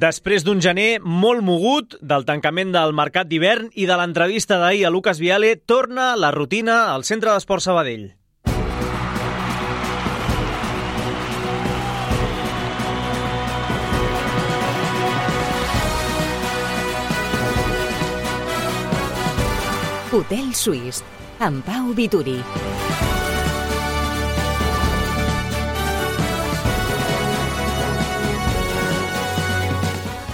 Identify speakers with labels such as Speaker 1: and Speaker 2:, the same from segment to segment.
Speaker 1: Després d'un gener molt mogut, del tancament del mercat d'hivern i de l'entrevista d'ahir a Lucas Viale, torna la rutina al Centre d'Esports Sabadell.
Speaker 2: Hotel Suís, amb Pau Vituri.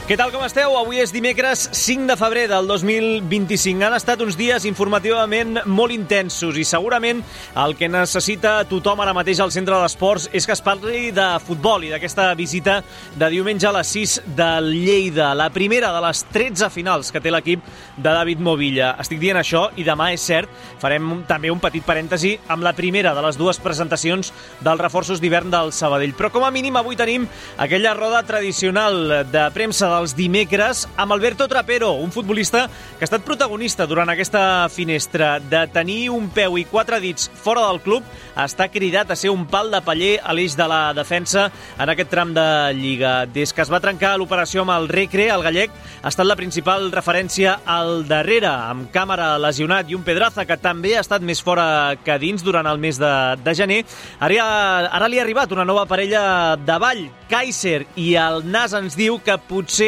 Speaker 1: Què tal, com esteu? Avui és dimecres 5 de febrer del 2025. Han estat uns dies informativament molt intensos i segurament el que necessita tothom ara mateix al Centre d'Esports és que es parli de futbol i d'aquesta visita de diumenge a les 6 del Lleida, la primera de les 13 finals que té l'equip de David Movilla. Estic dient això i demà, és cert, farem també un petit parèntesi amb la primera de les dues presentacions dels reforços d'hivern del Sabadell. Però com a mínim avui tenim aquella roda tradicional de premsa dels dimecres amb Alberto Trapero, un futbolista que ha estat protagonista durant aquesta finestra. De tenir un peu i 4 dits fora del club, està cridat a ser un pal de paller a l'eix de la defensa en aquest tram de Lliga. Des que es va trencar l'operació amb el Recre, el gallec ha estat la principal referència al darrere, amb Càmera lesionat i un Pedraza que també ha estat més fora que dins durant el mes de gener. Ara li ha arribat una nova parella de ball, Kaiser, i el Nas ens diu que potser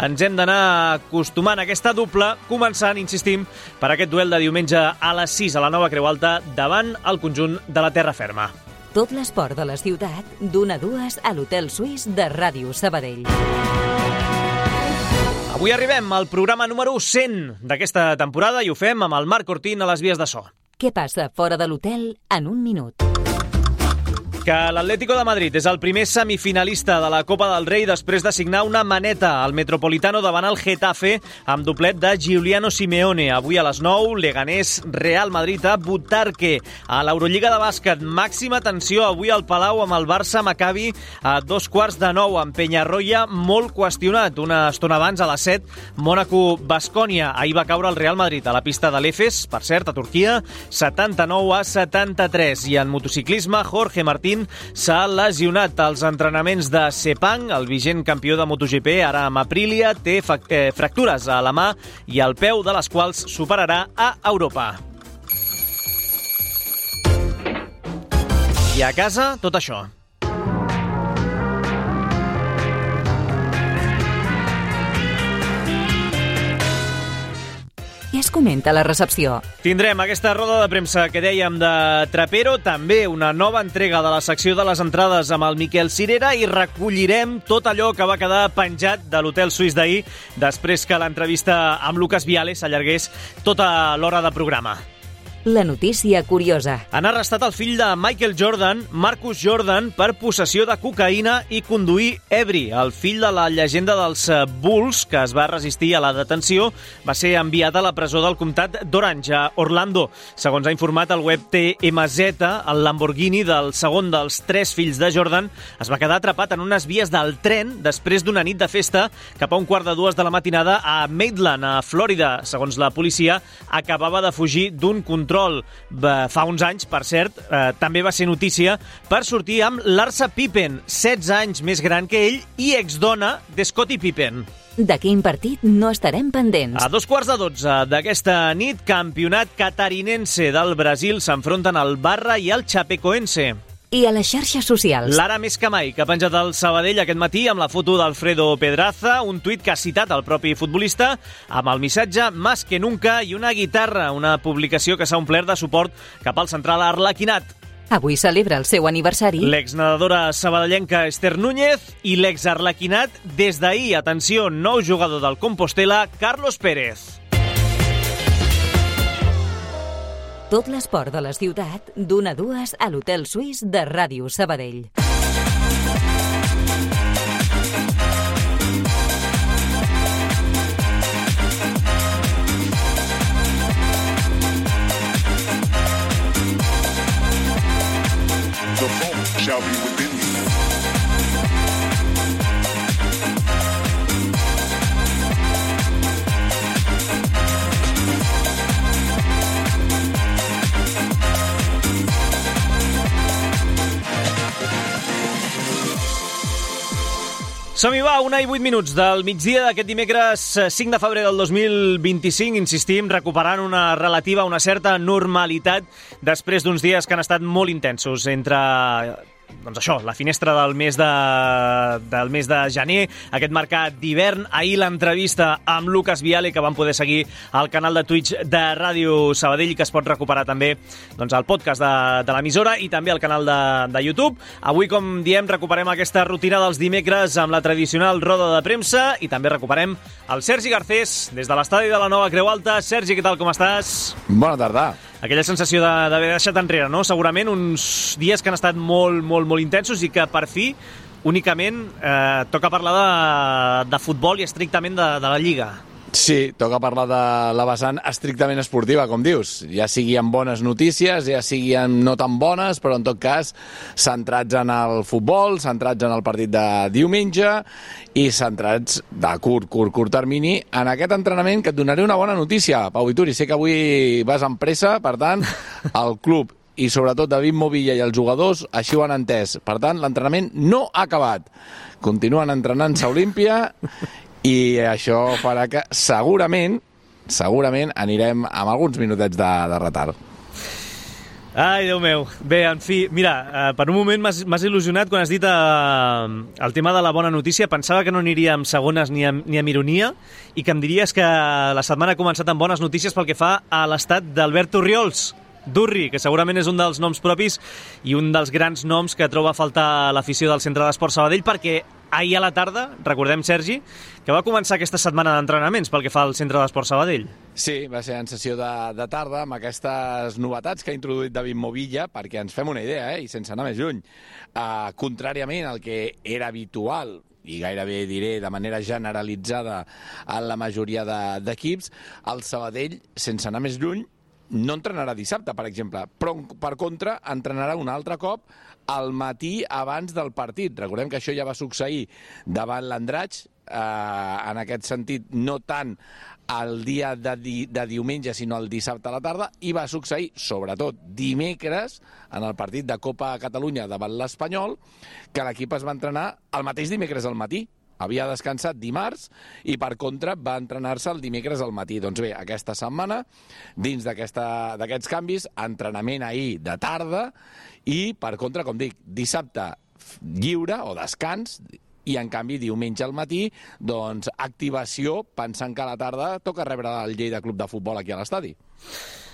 Speaker 1: ens hem d'anar acostumant a aquesta dupla, començant, insistim, per aquest duel de diumenge a les 6 a la Nova Creu Alta davant el conjunt de la Terra Ferma.
Speaker 2: Tot l'esport de la ciutat, d'1 a 2 a l'Hotel Suís de Ràdio Sabadell.
Speaker 1: Avui arribem al programa número 100 d'aquesta temporada i ho fem amb el Marc Ortín a les vies de so.
Speaker 2: Què passa fora de l'hotel en un minut?
Speaker 1: Que l'Atlético de Madrid és el primer semifinalista de la Copa del Rei després de signar una maneta al Metropolitano davant el Getafe amb doblet de Giuliano Simeone. Avui a les 9, Leganés, Real Madrid a Butarque. A l'Eurolliga de bàsquet, màxima tensió avui al Palau amb el Barça Maccabi a 8:45 amb Peñarroya molt qüestionat. Una estona abans, a les 7, Mònaco-Bascònia. Ahir va caure el Real Madrid a la pista de l'Efes, per cert, a Turquia, 79-73. I en motociclisme, Jorge Martín s'ha lesionat als entrenaments de Sepang, el vigent campió de MotoGP, ara amb Aprilia, té fractures a la mà i al peu, de les quals superarà a Europa. I a casa, tot això.
Speaker 2: Què es comenta a la recepció?
Speaker 1: Tindrem aquesta roda de premsa que dèiem de Trapero, també una nova entrega de la secció de les entrades amb el Miquel Cirera i recollirem tot allò que va quedar penjat de l'Hotel Suís d'ahir després que l'entrevista amb Lucas Viale s'allargués tota l'hora de programa.
Speaker 2: La notícia curiosa.
Speaker 1: Han arrestat el fill de Michael Jordan, Marcus Jordan, per possessió de cocaïna i conduir ebri. El fill de la llegenda dels Bulls, que es va resistir a la detenció, va ser enviat a la presó del comtat d'Orange, a Orlando. Segons ha informat el web TMZ, el Lamborghini del segon dels 3 fills de Jordan es va quedar atrapat en unes vies del tren després d'una nit de festa cap a 1:45 de la matinada a Maitland, a Florida. Segons la policia, acabava de fugir d'un control. Fa uns anys, per cert, també va ser notícia per sortir amb Larsa Pippen, 16 anys més gran que ell i exdona de Scottie Pippen.
Speaker 2: De quin partit no estarem pendents?
Speaker 1: A 11:45 d'aquesta nit, campionat catarinense del Brasil s'enfronten el Barra i el Chapecoense.
Speaker 2: I a les xarxes socials?
Speaker 1: L'ara més que mai, que ha penjat el Sabadell aquest matí amb la foto d'Alfredo Pedraza, un tuit que ha citat el propi futbolista, amb el missatge «Más que nunca» i una guitarra, una publicació que s'ha omplert de suport cap al central arlequinat.
Speaker 2: Avui celebra el seu aniversari.
Speaker 1: L'exnedadora sabadellenca Esther Núñez i l'exarlequinat des d'ahir, atenció, nou jugador del Compostela, Carlos Pérez.
Speaker 2: Tot l'esport de la ciutat, d'1 a 2 a l'Hotel Suís de Ràdio Sabadell.
Speaker 3: The fault shall be within you.
Speaker 1: Som-hi, va, 1:08 del migdia d'aquest dimecres 5 de febrer del 2025. Insistim, recuperant una certa normalitat després d'uns dies que han estat molt intensos entre... Doncs això, la finestra del mes de gener, aquest mercat d'hivern. Ahir l'entrevista amb Lucas Viale, que vam poder seguir al canal de Twitch de Ràdio Sabadell, que es pot recuperar també doncs, al podcast de l'emissora i també al canal de YouTube. Avui, com diem, recuperem aquesta rutina dels dimecres amb la tradicional roda de premsa i també recuperem el Sergi Garcés des de l'estadi de la Nova Creu Alta. Sergi, què tal, com estàs?
Speaker 4: Bona tarda.
Speaker 1: Aquella sensació d'haver deixat enrere, no? Segurament uns dies que han estat molt intensos i que per fi únicament toca parlar de futbol i estrictament de la Lliga.
Speaker 4: Sí, toca parlar de la vessant estrictament esportiva, com dius. Ja sigui amb bones notícies, ja sigui amb no tan bones, però en tot cas centrats en el futbol, centrats en el partit de diumenge i centrats de curt termini en aquest entrenament que et donaré una bona notícia, Pau Vituri. Sé que avui vas amb pressa, per tant, el club i sobretot David Movilla i els jugadors així ho han entès. Per tant, l'entrenament no ha acabat. Continuen entrenant-se a Olímpia i això farà que segurament anirem amb alguns minutets de retard.
Speaker 1: Ai, Déu meu. Bé, en fi, mira, per un moment m'has il·lusionat quan has dit el tema de la bona notícia. Pensava que no aniria amb segones ni amb ironia i que em diries que la setmana ha començat amb bones notícies pel que fa a l'estat d'Albert Orriols, Durri, que segurament és un dels noms propis i un dels grans noms que troba a faltar l'afició del Centre d'Esport Sabadell, perquè ahir a la tarda, recordem, Sergi, que va començar aquesta setmana d'entrenaments pel que fa al Centre d'Esport Sabadell.
Speaker 4: Sí, va ser en sessió de tarda amb aquestes novetats que ha introduït David Movilla, perquè ens fem una idea, i sense anar més lluny. Contràriament al que era habitual, i gairebé diré de manera generalitzada en la majoria d'equips, el Sabadell, sense anar més lluny, no entrenarà dissabte, per exemple, però per contra entrenarà un altre cop al matí abans del partit. Recordem que això ja va succeir davant l'Andratx, en aquest sentit no tant el dia de diumenge sinó el dissabte a la tarda, i va succeir sobretot dimecres en el partit de Copa Catalunya davant l'Espanyol, que l'equip es va entrenar el mateix dimecres al matí. Havia descansat dimarts i, per contra, va entrenar-se el dimecres al matí. Doncs bé, aquesta setmana, dins d'aquests canvis, entrenament ahir de tarda i, per contra, com dic, dissabte lliure o descans i, en canvi, diumenge al matí, doncs, activació, pensant que a la tarda toca rebre el Lleida Club de Futbol aquí a l'estadi.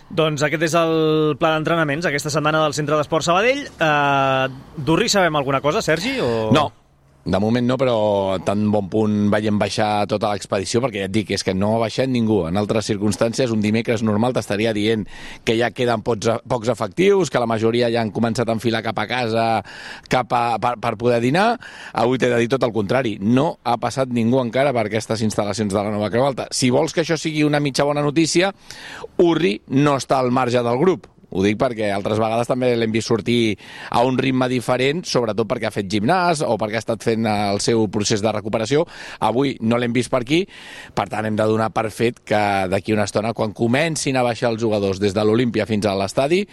Speaker 1: Doncs aquest és el pla d'entrenaments aquesta setmana del Centre d'Esport Sabadell. Durri, sabem alguna cosa, Sergi? O...
Speaker 4: No. De moment no, però tan bon punt veiem baixar tota l'expedició, perquè ja et dic, és que no ha baixat ningú. En altres circumstàncies, un dimecres normal t'estaria dient que ja queden pocs efectius, que la majoria ja han començat a enfilar cap a casa per poder dinar. Avui t'he de dir tot el contrari. No ha passat ningú encara per aquestes instal·lacions de la Nova Creu Alta. Si vols que això sigui una mitja bona notícia, Urri no està al marge del grup. Ho dic perquè altres vegades també l'hem vist sortir a un ritme diferent, sobretot perquè ha fet gimnàs o perquè ha estat fent el seu procés de recuperació. Avui no l'hem vist per aquí, per tant hem de donar per fet que d'aquí una estona, quan comencin a baixar els jugadors des de l'Olímpia fins a l'estadi,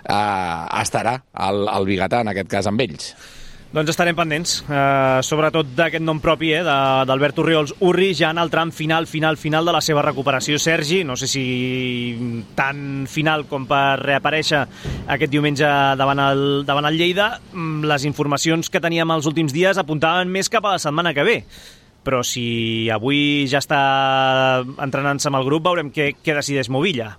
Speaker 4: estarà el Bigatà, en aquest cas, amb ells.
Speaker 1: Doncs estarem pendents, sobretot d'aquest nom propi, d'Albert Orriols Urri, ja en el tram final de la seva recuperació. Sergi, no sé si tan final com per reaparèixer aquest diumenge davant el Lleida. Les informacions que teníem els últims dies apuntaven més cap a la setmana que ve. Però si avui ja està entrenant-se amb el grup, veurem què decideix Movilla.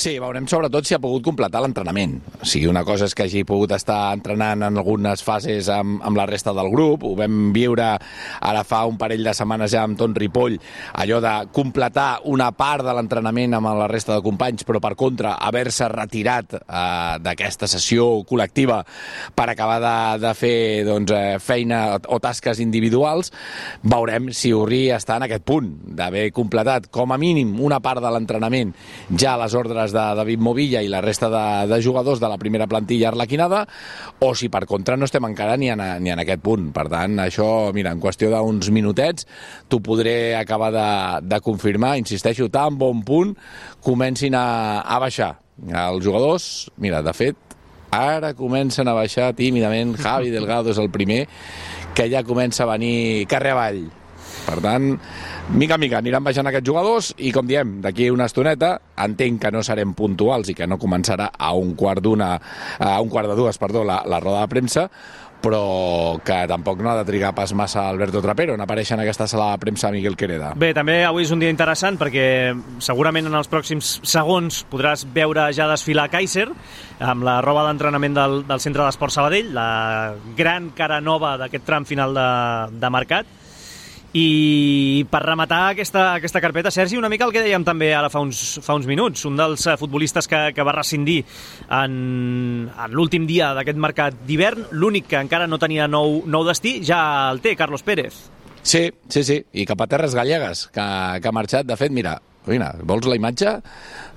Speaker 4: Sí, veurem sobretot si ha pogut completar l'entrenament. O sigui, una cosa és que hagi pogut estar entrenant en algunes fases amb la resta del grup. Ho vam viure ara fa un parell de setmanes ja amb Ton Ripoll, allò de completar una part de l'entrenament amb la resta de companys, però per contra haver-se retirat d'aquesta sessió col·lectiva per acabar de fer feina o tasques individuals. Veurem si Urri està en aquest punt d'haver completat com a mínim una part de l'entrenament ja a les ordres de David Movilla i la resta de jugadors de la primera plantilla arlequinada, o si per contra no estem encara ni en aquest punt. Per tant, això, mira, en qüestió d'uns minutets t'ho podré acabar de confirmar. Insisteixo, tan bon punt comencin a baixar els jugadors. Mira, de fet, ara comencen a baixar tímidament. Javi Delgado és el primer que ja comença a venir carrer avall. Per tant, mica en mica aniran baixant aquests jugadors i, com diem, d'aquí una estoneta entenc que no serem puntuals i que no començarà a un quart de dues, la roda de premsa, però que tampoc no ha de trigar pas massa Alberto Trapero en aparèixer en aquesta sala de premsa Miguel Quereda.
Speaker 1: Bé, també avui és un dia interessant perquè segurament en els pròxims segons podràs veure ja desfilar Kaiser amb la roba d'entrenament del Centre d'Esport Sabadell, la gran cara nova d'aquest tram final de mercat. I per rematar aquesta carpeta, Sergi, una mica el que dèiem també ara fa uns minuts, un dels futbolistes que va rescindir en l'últim dia d'aquest mercat d'hivern, l'únic que encara no tenia nou destí, ja el té, Carlos Pérez.
Speaker 4: Sí, i cap a terres gallegues, que ha marxat. De fet, mira, vols la imatge?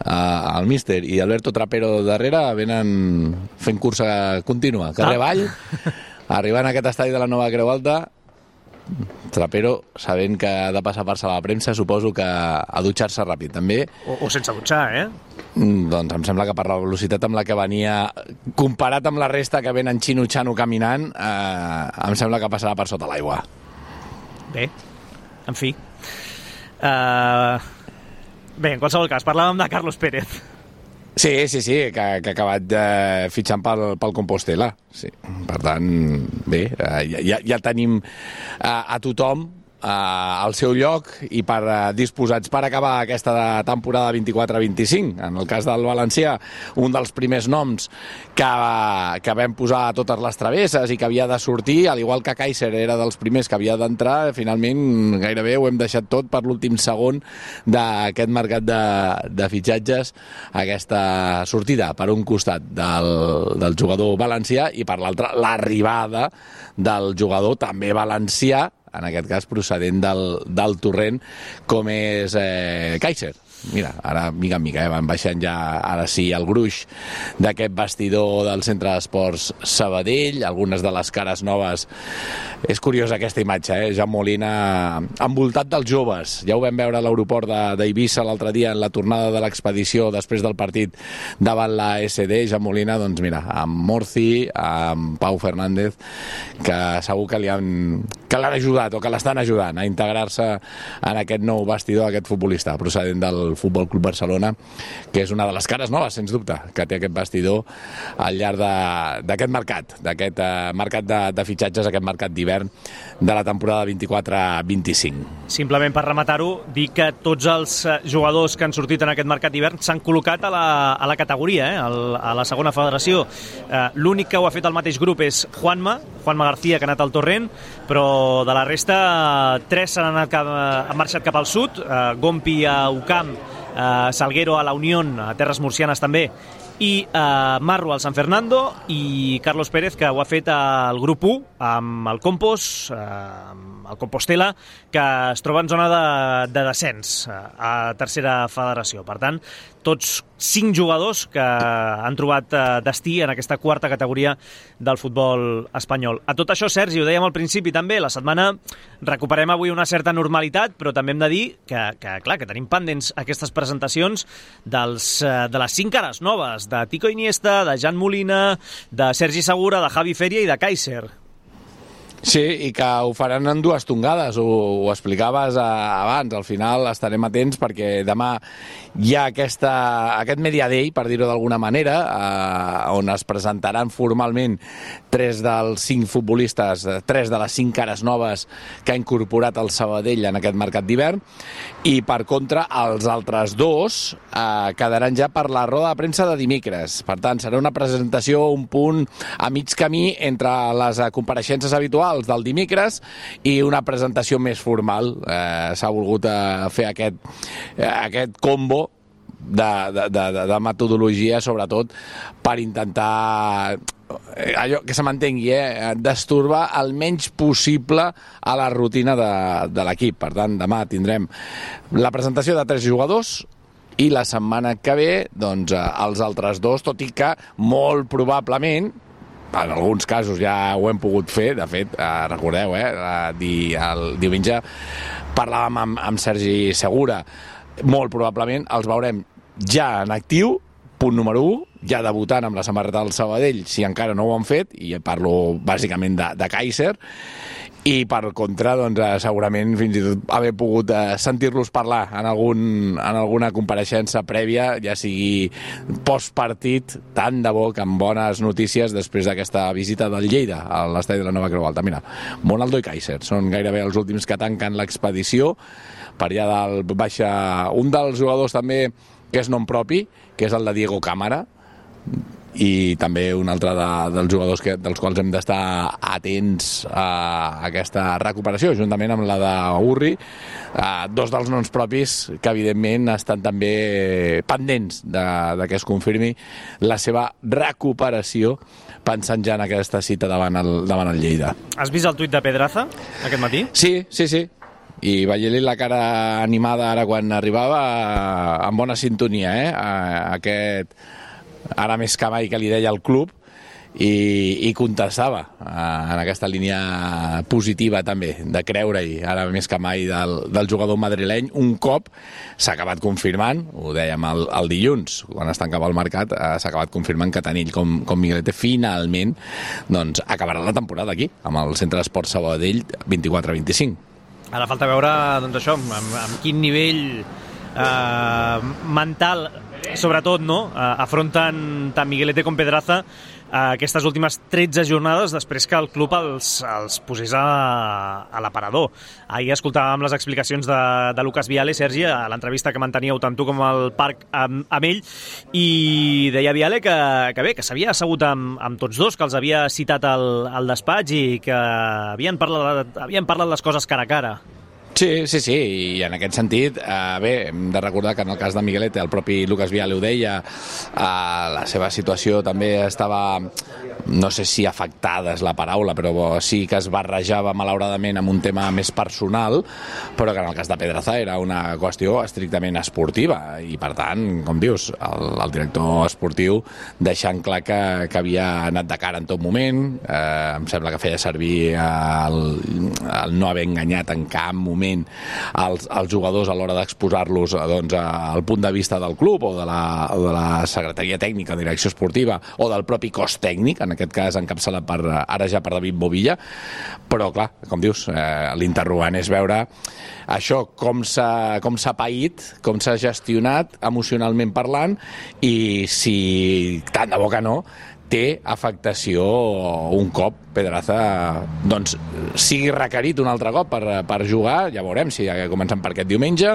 Speaker 4: El míster i Alberto Trapero darrere venen fent cursa contínua, carrer avall, arribant a aquest estadi de la Nova Creu Alta. Trapero, sabent que ha de passar per sala de premsa, suposo que a dutxar-se ràpid, també.
Speaker 1: O sense dutxar,
Speaker 4: Doncs em sembla que per la velocitat amb la que venia, comparat amb la resta que venen xino-xano caminant, em sembla que passarà per sota l'aigua.
Speaker 1: Bé, en fi. Bé, en qualsevol cas, parlàvem de Carlos Pérez.
Speaker 4: Sí, que ha acabat fitxant pel Compostela. Sí. Per tant, bé, ja tenim a tothom al seu lloc i disposats per acabar aquesta temporada 24-25. En el cas del Valencià, un dels primers noms que vam posar a totes les travesses i que havia de sortir, al igual que Kaiser era dels primers que havia d'entrar, finalment gairebé ho hem deixat tot per l'últim segon d'aquest mercat de fitxatges, aquesta sortida per un costat del jugador valencià i per l'altre l'arribada del jugador també valencià, en aquest cas procedent del torrent, com és Kaiser. Mira, ara mica en mica van baixant ja, ara sí, el gruix d'aquest vestidor del Centre d'Esports Sabadell, algunes de les cares noves. És curiosa aquesta imatge, Jan Molina envoltat dels joves. Ja ho vam veure a l'aeroport d'Eivissa l'altre dia en la tornada de l'expedició després del partit davant la SD. Jan Molina, doncs mira, amb Morci, amb Pau Fernández, que segur que l'han ajudat o que l'estan ajudant a integrar-se en aquest nou vestidor, aquest futbolista procedent del Futbol Club Barcelona, que és una de les cares noves, sens dubte, que té aquest vestidor al llarg d'aquest mercat de fitxatges, aquest mercat d'hivern de la temporada 24-25.
Speaker 1: Simplement per rematar-ho, dir que tots els jugadors que han sortit en aquest mercat d'hivern s'han col·locat a la categoria, a la segona federació. L'únic que ho ha fet al mateix grup és Juanma García, que ha anat al Torrent, però de la resta 3 han marxat cap al sud, Gompi a Ucam, Salguero a la Unión, a Terres Murcianes també, i Marro al San Fernando, i Carlos Pérez, que ho ha fet al grup 1 amb el Compos, el Compostela, que es troba en zona de descens a tercera federació. Per tant, tots 5 jugadors que han trobat destí en aquesta quarta categoria del futbol espanyol. A tot això, Sergi, ho dèiem al principi també, la setmana recuperem avui una certa normalitat, però també hem de dir que tenim pendents aquestes presentacions de les 5 cares noves, de Tico Iniesta, de Jan Molina, de Sergi Segura, de Javi Feria i de Kaiser.
Speaker 4: Sí, i que ho faran en 2 tongades, ho explicaves abans. Al final estarem atents perquè demà hi ha aquest Media Day, per dir-ho d'alguna manera, on es presentaran formalment 3 dels 5 futbolistes, 3 de les 5 cares noves que ha incorporat el Sabadell en aquest mercat d'hivern, i per contra els altres 2 quedaran ja per la roda de premsa de dimecres. Per tant, serà una presentació, un punt a mig camí entre les compareixences habituals del dimecres i una presentació més formal. S'ha volgut fer aquest combo de metodologia, sobretot per intentar allò que se m'entengui, destorbar el menys possible a la rutina de l'equip. Per tant, demà tindrem la presentació de 3 jugadors i la setmana que ve doncs, els altres 2, tot i que molt probablement, en alguns casos ja ho hem pogut fer, de fet, recordeu, el diumenge parlàvem amb Sergi Segura, molt probablement els veurem ja en actiu, punt número 1, ja debutant amb la samarreta del Sabadell, si encara no ho han fet, i parlo bàsicament de Kaiser, i per contra, doncs, segurament fins i tot haver pogut sentir-los parlar en alguna compareixença prèvia, ja sigui postpartit, tant de bo que amb bones notícies després d'aquesta visita del Lleida a l'estadi de la Nova Creu Alta. Mira, Monaldo i Kaiser són gairebé els últims que tanquen l'expedició. Per allà dalt baixa un dels jugadors també que és nom propi, que és el de Diego Cámara, i també un altre dels jugadors dels quals hem d'estar atents a aquesta recuperació, juntament amb la d'Urri, dos dels noms propis que evidentment estan també pendents de que es confirmi la seva recuperació, pensant ja en aquesta cita davant el Lleida.
Speaker 1: Has vist el tuit de Pedraza aquest matí?
Speaker 4: Sí. I veient-li la cara animada ara quan arribava, amb bona sintonia, aquest ara més que mai que li deia el club, i contestava en aquesta línia positiva també, de creure-hi ara més que mai del jugador madrileny. Un cop s'ha acabat confirmant, ho dèiem el dilluns quan es tancava el mercat, s'ha acabat confirmant que tant ell com Miguelete finalment doncs acabarà la temporada aquí amb el Centre d'Esport Sabadell 24-25.
Speaker 1: Ara falta veure, doncs això, amb quin nivell mental, sobretot, no? Afronten tant Miguelete com Pedraza aquestes últimes 13 jornades després que el club els posés a l'aparador. Ahir escoltàvem les explicacions de Lucas Viale, Sergi, a l'entrevista que manteníeu tant tu com el Parc amb ell, i deia Viale que s'havia assegut amb tots dos, que els havia citat al despatx i que havien parlat les coses cara a cara.
Speaker 4: Sí, i en aquest sentit, bé, hem de recordar que en el cas de Miguelete, el propi Lucas Viale ho deia, la seva situació també estava, no sé si afectada és la paraula, però sí que es barrejava malauradament amb un tema més personal, però que en el cas de Pedraza era una qüestió estrictament esportiva, i per tant, com dius, el director esportiu deixant clar que havia anat de cara en tot moment, em sembla que feia servir el no haver enganyat en cap moment els jugadors a l'hora d'exposar-los doncs, al punt de vista del club o de la secretaria tècnica, direcció esportiva, o del propi cos tècnic, en aquest cas encapçalat ara ja per David Movilla. Però clar, com dius, l'interrogant és veure això, com s'ha paït, com s'ha gestionat emocionalment parlant, i si tant de bo que no té afectació un cop Pedraza doncs sigui requerit un altre cop per jugar. Ja veurem si comencen per aquest diumenge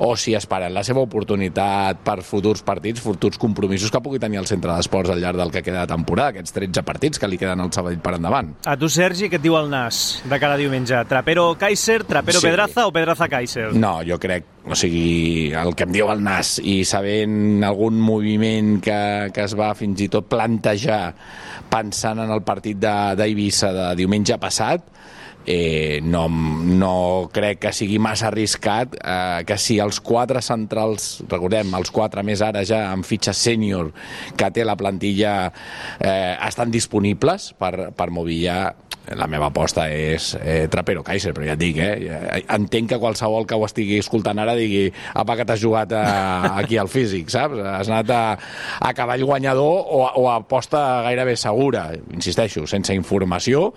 Speaker 4: o si esperen la seva oportunitat per futurs partits, futurs compromisos que pugui tenir el Centre d'Esports al llarg del que queda de temporada, aquests 13 partits que li queden al Sabadell per endavant.
Speaker 1: A tu, Sergi, què et diu el Nas de cada diumenge? Trapero-Kaiser, Trapero-Pedraza o Pedraza-Kaiser?
Speaker 4: No, jo crec, o sigui, el que em diu el Nas, i sabent algun moviment que es va fins i tot plantejar pensant en el partit d'Eivissa de diumenge passat, no crec que sigui massa arriscat que si els 4 centrals, recordem, els 4 més ara ja amb fitxa sènior que té la plantilla, estan disponibles per Movilla. La meva aposta és Trapero-Kaiser, però ja et dic, entenc que qualsevol que ho estigui escoltant ara digui apa, que t'has jugat aquí al físic, saps? Has anat a cavall guanyador o a aposta gairebé segura, insisteixo, sense informació,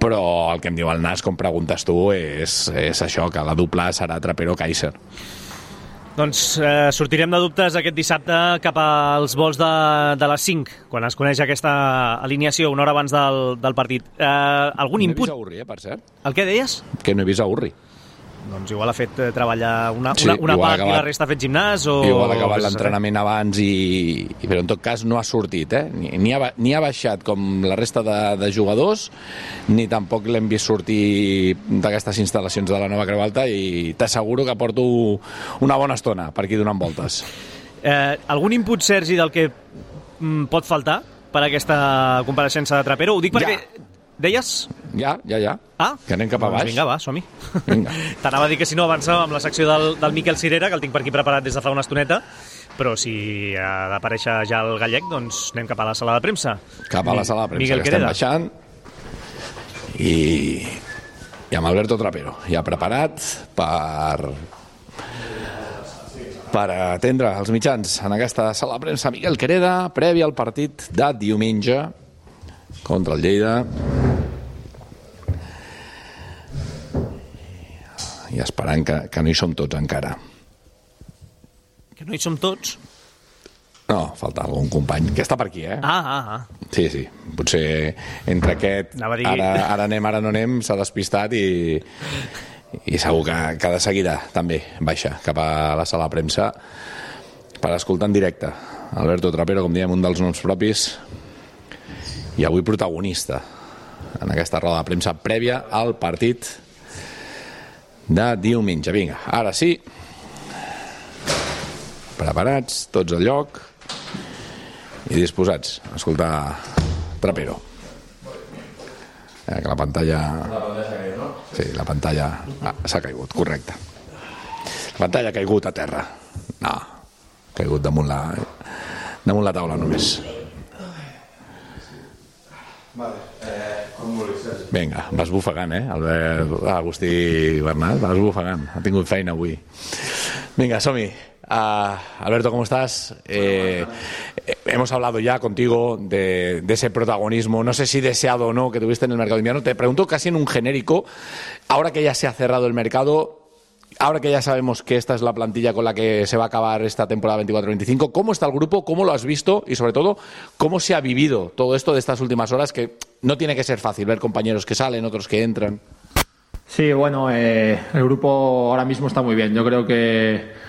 Speaker 4: però el que em diu el Nas, com preguntes tu, és això, que la dupla serà Trapero-Kaiser.
Speaker 1: Doncs sortirem de dubtes aquest dissabte cap als vols de les 5, quan es coneix aquesta alineació, una hora abans del partit. Algun input?
Speaker 4: No he vist a Urri, per cert.
Speaker 1: El què deies?
Speaker 4: Que no he vist a Urri.
Speaker 1: Doncs igual ha fet treballar una part i la resta ha fet gimnàs, o...
Speaker 4: Igual ha acabat l'entrenament abans, però en tot cas no ha sortit, ni ha baixat com la resta de jugadors, ni tampoc l'hem vist sortir d'aquestes instal·lacions de la Nova Creu Alta, i t'asseguro que porto una bona estona per aquí donant voltes.
Speaker 1: Algun input, Sergi, del que pot faltar per aquesta compareixença de Trapero? Ho dic perquè... Deies?
Speaker 4: Ja.
Speaker 1: Ah?
Speaker 4: Que anem cap a baix.
Speaker 1: Vinga, va, som-hi. T'anava a dir que si no avançàvem amb la secció del Miquel Cirera, que el tinc per aquí preparat des de fa una estoneta, però si ha d'aparèixer ja el gallec, doncs anem cap a la sala de premsa.
Speaker 4: Cap a la sala de premsa,
Speaker 1: Miguel
Speaker 4: que estem baixant. I amb Alberto Trapero, ja preparat per atendre els mitjans en aquesta sala de premsa. Miguel Quereda, previ al partit de diumenge contra el Lleida. i esperant que no hi som tots encara.
Speaker 1: Que no hi som tots?
Speaker 4: No, falta algun company, que està per aquí, eh? Sí, potser entre aquest ara anem, ara no anem, s'ha despistat i segur que de seguida també baixa cap a la sala de premsa per escoltar en directe Alberto Trapero, com diem, un dels noms propis i avui protagonista en aquesta roda de premsa prèvia al partit de diumenge. Vinga, ara sí, preparats, tots al lloc i disposats a escoltar Trapero. Que la pantalla... Sí, la pantalla s'ha caigut, correcte. La pantalla ha caigut a terra. No, ha caigut damunt la taula només. Vinga, vas bufegant, Agustí Bernat, vas bufegant. Ha tingut feina avui. Venga, Somi. Alberto, ¿cómo estás? Hemos hablado ya contigo de ese protagonismo, no sé si deseado o no, que tuviste en el mercado de invierno. Te pregunto casi en un genérico, ahora que ya se ha cerrado el mercado, ahora que ya sabemos que esta es la plantilla con la que se va a acabar esta temporada 24-25, ¿cómo está el grupo? ¿Cómo lo has visto? Y sobre todo, ¿cómo se ha vivido todo esto de estas últimas horas? Que no tiene que ser fácil ver compañeros que salen, otros que entran.
Speaker 5: Sí, bueno, el grupo ahora mismo está muy bien. Yo creo que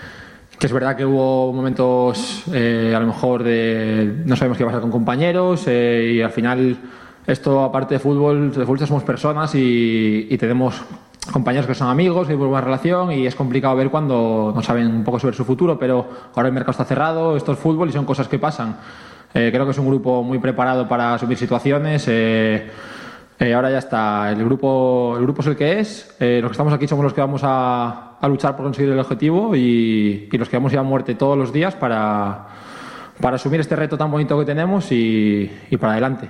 Speaker 5: es verdad que hubo momentos a lo mejor no sabemos qué pasar con compañeros y al final esto, aparte de fútbol somos personas y tenemos compañeros que son amigos, que hay buena relación y es complicado ver cuando no saben un poco sobre su futuro, pero ahora el mercado está cerrado, esto es fútbol y son cosas que pasan. Creo que es un grupo muy preparado para asumir situaciones. Ahora ya está, el grupo es el que es, los que estamos aquí somos los que vamos a luchar por conseguir el objetivo y los que vamos a ir a muerte todos los días para asumir este reto tan bonito que tenemos y para adelante.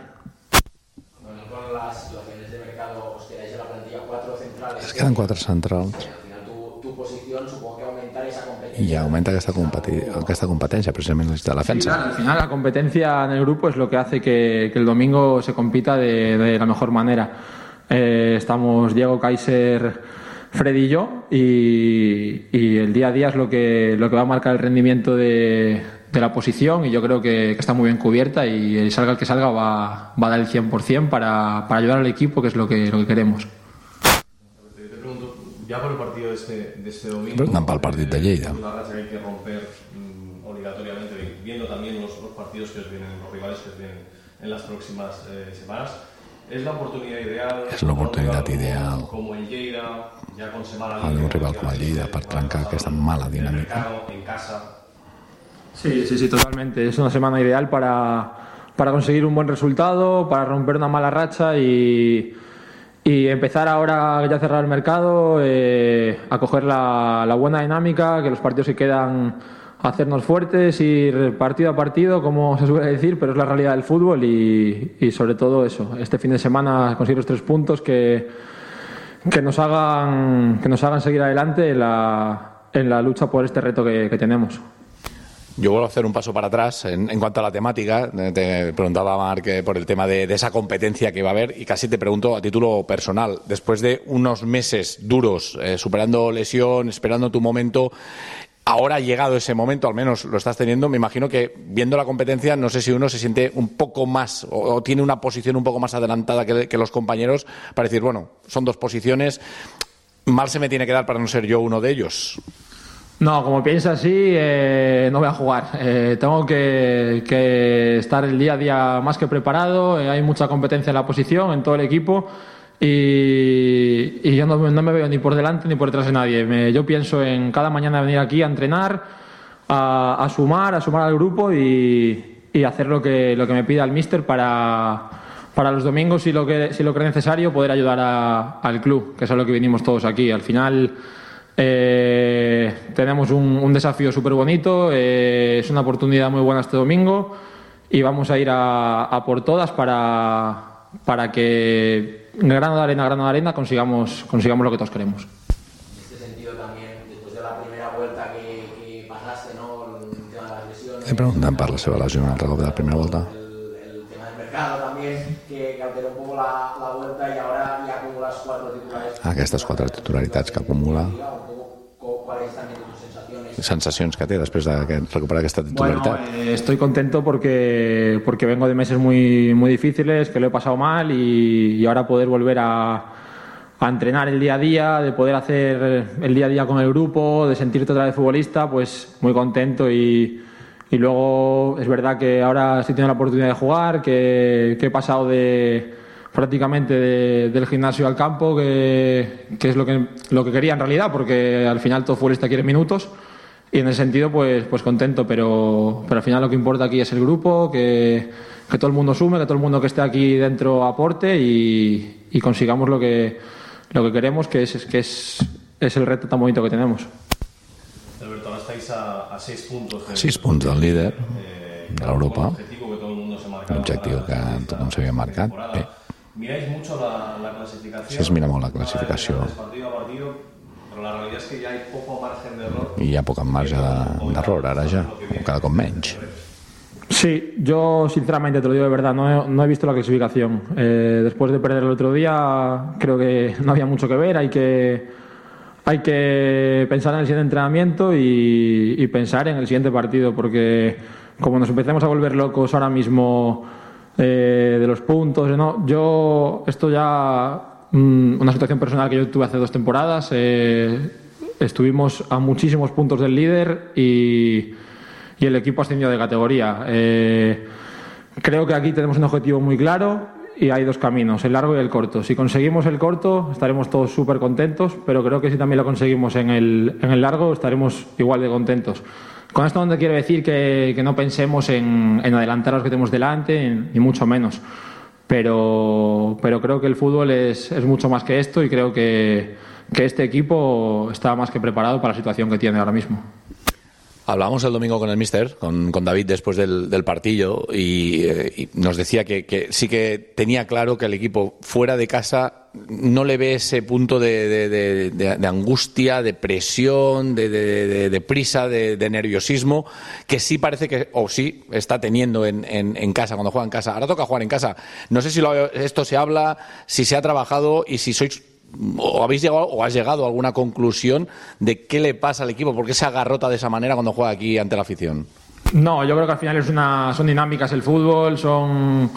Speaker 6: Con las situaciones de mercado os quedáis en la plantilla 4 centrales.
Speaker 4: Es quedan 4 centrals.
Speaker 6: Al final tu posición supongo que aumentar esa competencia.
Speaker 4: I augmenta aquesta competència precisament de la defensa.
Speaker 5: Sí, claro, al final la competencia en el grupo es lo que hace que el domingo se compita de la mejor manera. Estamos Diego, Kaiser, Freddy y yo y el día a día es lo que va a marcar el rendimiento de la posición y yo creo que está muy bien cubierta y salga el que salga va a dar el 100% para ayudar al equipo, que es lo que queremos.
Speaker 7: Ya por el partido de este domingo,
Speaker 4: Preguntan para el partido de Lleida.
Speaker 7: una racha que hay que romper obligatoriamente, viendo también los partidos que os vienen, los rivales que os vienen en las próximas semanas. Es la oportunidad ideal.
Speaker 4: És l'oportunitat ideal
Speaker 7: como el Lleida, ya con semana
Speaker 4: a un rival com el Lleida per trencar aquesta mala dinàmica.
Speaker 7: en casa.
Speaker 5: Sí, totalmente. Es una semana ideal para conseguir un buen resultado, para romper una mala racha y empezar ahora ya cerrar el mercado, a coger la buena dinámica, que los partidos se quedan a hacernos fuertes, ir partido a partido, como se suele decir, pero es la realidad del fútbol y sobre todo eso, este fin de semana conseguir los 3 puntos que nos hagan seguir adelante en la lucha por este reto que tenemos.
Speaker 4: Yo vuelvo a hacer un paso para atrás en cuanto a la temática. Te preguntaba, Marc, por el tema de esa competencia que va a haber y casi te pregunto a título personal. Después de unos meses duros, superando lesión, esperando tu momento, ahora ha llegado ese momento, al menos lo estás teniendo. Me imagino que viendo la competencia, no sé si uno se siente un poco más o tiene una posición un poco más adelantada que los compañeros para decir, bueno, son 2 posiciones, mal se me tiene que dar para no ser yo uno de ellos.
Speaker 5: No, como piensa así, no voy a jugar. Tengo que estar el día a día más que preparado. Hay mucha competencia en la posición, en todo el equipo. Y yo no me veo ni por delante ni por detrás de nadie. Yo pienso en cada mañana venir aquí a entrenar, a sumar al grupo y hacer lo que me pida el míster para los domingos, si lo cree necesario, poder ayudar al club, que es a lo que vinimos todos aquí. Al final tenemos un desafío súper bonito, es una oportunidad muy buena este domingo y vamos a ir a por todas para que grano de arena consigamos lo que todos queremos.
Speaker 6: En este sentido también, después de la primera vuelta que pasaste, ¿no? El tema de las lesiones.
Speaker 4: Preguntant per la seva lesió un altre cop de la primera volta.
Speaker 6: El tema del mercado también, que alteró un poco la vuelta y ahora ya acumulas 4 titulares.
Speaker 4: Aquestes 4 titularitats que acumula.
Speaker 6: ¿Cuáles también tus sensaciones?
Speaker 4: Sensacions que té després de recuperar aquesta titularitat.
Speaker 5: Bueno, estoy contento porque vengo de meses muy, muy difíciles, que lo he pasado mal y ahora poder volver a entrenar el día a día, de poder hacer el día a día con el grupo, de sentirte otra vez futbolista, pues muy contento y luego es verdad que ahora sí tengo la oportunidad de jugar, que he pasado prácticamente del gimnasio al campo, que es lo que quería en realidad, porque al final todo futbolista quiere minutos y en ese sentido pues contento, pero al final lo que importa aquí es el grupo, que todo el mundo sume, que todo el mundo que esté aquí dentro aporte y consigamos lo que queremos, que es el reto tan bonito que tenemos.
Speaker 7: Alberto, ahora estáis a 6 puntos.
Speaker 4: 6 punts del líder de l'Europa.
Speaker 7: L'objectiu
Speaker 4: que tothom s'havia marcat. Bé.
Speaker 7: Miráis mucho la clasificación.
Speaker 4: Sí, es mira molt la classificació.
Speaker 7: Partido a partido, pero la realidad es que ya hay poco margen de error.
Speaker 4: I hi ha poc marge d'error, ara ja, cada cop menys.
Speaker 5: Sí, yo sinceramente te lo digo de verdad, no he visto la clasificación. Después de perder el otro día, creo que no había mucho que ver. Hay que pensar en el siguiente entrenamiento y pensar en el siguiente partido, porque como nos empecemos a volver locos ahora mismo de los puntos, esto ya una situación personal que yo tuve hace 2 temporadas. Estuvimos a muchísimos puntos del líder y el equipo ascendió de categoría. Creo que aquí tenemos un objetivo muy claro y hay 2 caminos, el largo y el corto. Si conseguimos el corto estaremos todos súper contentos, pero creo que si también lo conseguimos en el largo estaremos igual de contentos. Con esto no quiero decir que no pensemos en adelantar a los que tenemos delante, ni mucho menos. Pero creo que el fútbol es mucho más que esto y creo que este equipo está más que preparado para la situación que tiene ahora mismo.
Speaker 4: Hablamos el domingo con el míster, con David, después del partido y nos decía que sí que tenía claro que el equipo fuera de casa no le ve ese punto de angustia, de presión, de prisa, de nerviosismo, que sí parece que, o sí está teniendo en casa, cuando juega en casa. Ahora toca jugar en casa. No sé si esto se habla, si se ha trabajado y si sois... ¿O habéis llegado o has llegado a alguna conclusión de qué le pasa al equipo? ¿Por qué se agarrota de esa manera cuando juega aquí ante la afición?
Speaker 5: No, yo creo que al final son dinámicas el fútbol, son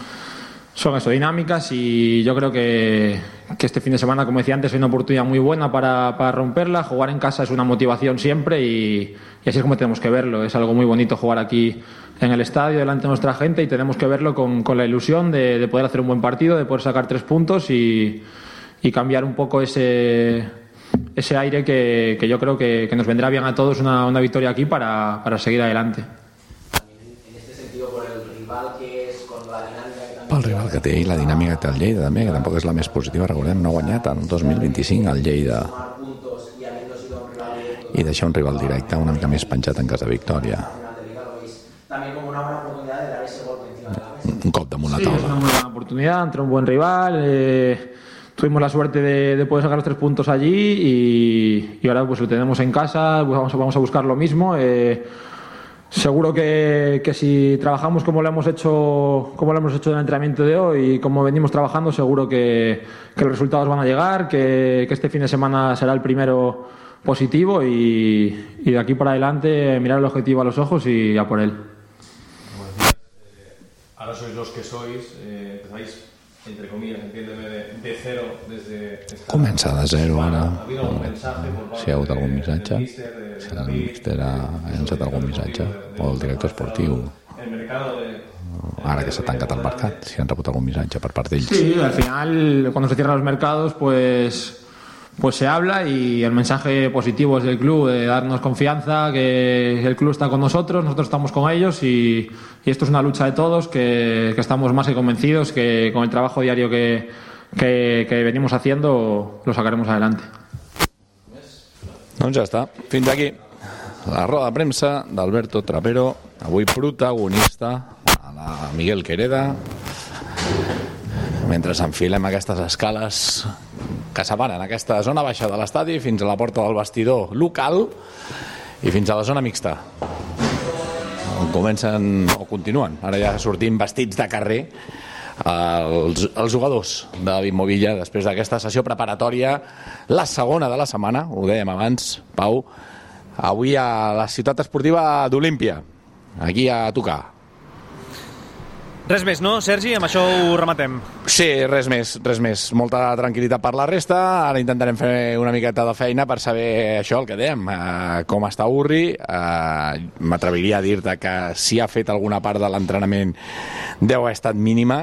Speaker 5: dinámicas y yo creo que este fin de semana, como decía antes, es una oportunidad muy buena para romperla. Jugar en casa es una motivación siempre y así es como tenemos que verlo. Es algo muy bonito jugar aquí en el estadio delante de nuestra gente y tenemos que verlo con la ilusión de poder hacer un buen partido, de poder sacar 3 puntos y cambiar un poco ese aire que yo creo que nos vendrá bien a todos una victoria aquí para seguir adelante.
Speaker 6: También en este sentido, por el rival que es, con la dinámica que también...
Speaker 4: Pel rival que té i la dinàmica que té el Lleida també, que tampoc és la més positiva. Recordem, no ha guanyat en 2025 el Lleida i deixar un rival directe una mica més penjat en cas de victòria. Un cop damunt la taula.
Speaker 5: Sí, es una buena oportunidad entre un buen rival. Tuvimos la suerte de poder sacar los 3 puntos allí y ahora pues lo tenemos en casa, pues vamos a buscar lo mismo. Seguro que si trabajamos como lo hemos hecho en el entrenamiento de hoy y como venimos trabajando, seguro que los resultados van a llegar, que este fin de semana será el primero positivo y de aquí para adelante mirar el objetivo a los ojos y a por él.
Speaker 7: Ahora sois los que sois, empezáis, entre comillas, entiéndeme, de cero desde...
Speaker 4: Comença de zero ara.
Speaker 7: ¿Ha habido algún mensaje por parte
Speaker 4: si hi ha hagut algun missatge, serà el míster ha llançat algun missatge o el director esportiu. Ara que s'ha tancat el mercat, si han rebut algun missatge per part d'ells.
Speaker 5: Sí, al final, cuando se cierran los mercados, pues se habla y el mensaje positivo es del club, de darnos confianza, que el club está con nosotros estamos con ellos y esto es una lucha de todos, que estamos más que convencidos que con el trabajo diario que venimos haciendo lo sacaremos adelante.
Speaker 4: Doncs ja està, fins aquí la roda de premsa d'Alberto Trapero, avui protagonista a la Miguel Quereda, mentre enfilem aquestes escales que separen aquesta zona baixa de l'estadi fins a la porta del vestidor local i fins a la zona mixta, on comencen o continuen ara ja sortint vestits de carrer els jugadors de David Movilla després d'aquesta sessió preparatòria, la segona de la setmana, ho dèiem abans, Pau, avui a la ciutat esportiva d'Olímpia, aquí a tocar.
Speaker 1: Res més, no, Sergi? Amb això ho rematem.
Speaker 4: Sí, res més. Molta tranquil·litat per la resta. Ara intentarem fer una miqueta de feina per saber això, el que dèiem, com està Urri. M'atreviria a dir-te que si ha fet alguna part de l'entrenament deu haver estat mínima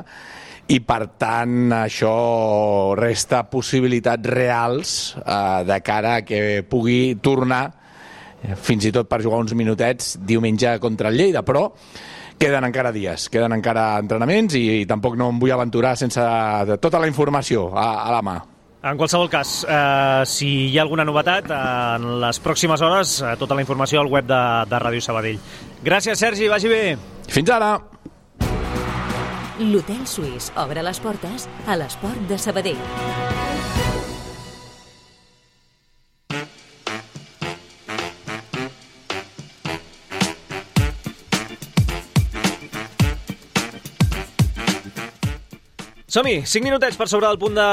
Speaker 4: i, per tant, això resta possibilitats reals de cara a que pugui tornar, fins i tot per jugar uns minutets, diumenge contra el Lleida, però queden encara dies, queden encara entrenaments i tampoc no em vull aventurar sense tota la informació a la mà.
Speaker 1: En qualsevol cas, si hi ha alguna novetat, en les pròximes hores, tota la informació al web de Ràdio Sabadell. Gràcies, Sergi, vagi bé.
Speaker 4: Fins ara!
Speaker 2: L'Hotel Suís obre les portes a l'esport de Sabadell.
Speaker 1: Som-hi, 5 minutets per sobre del punt de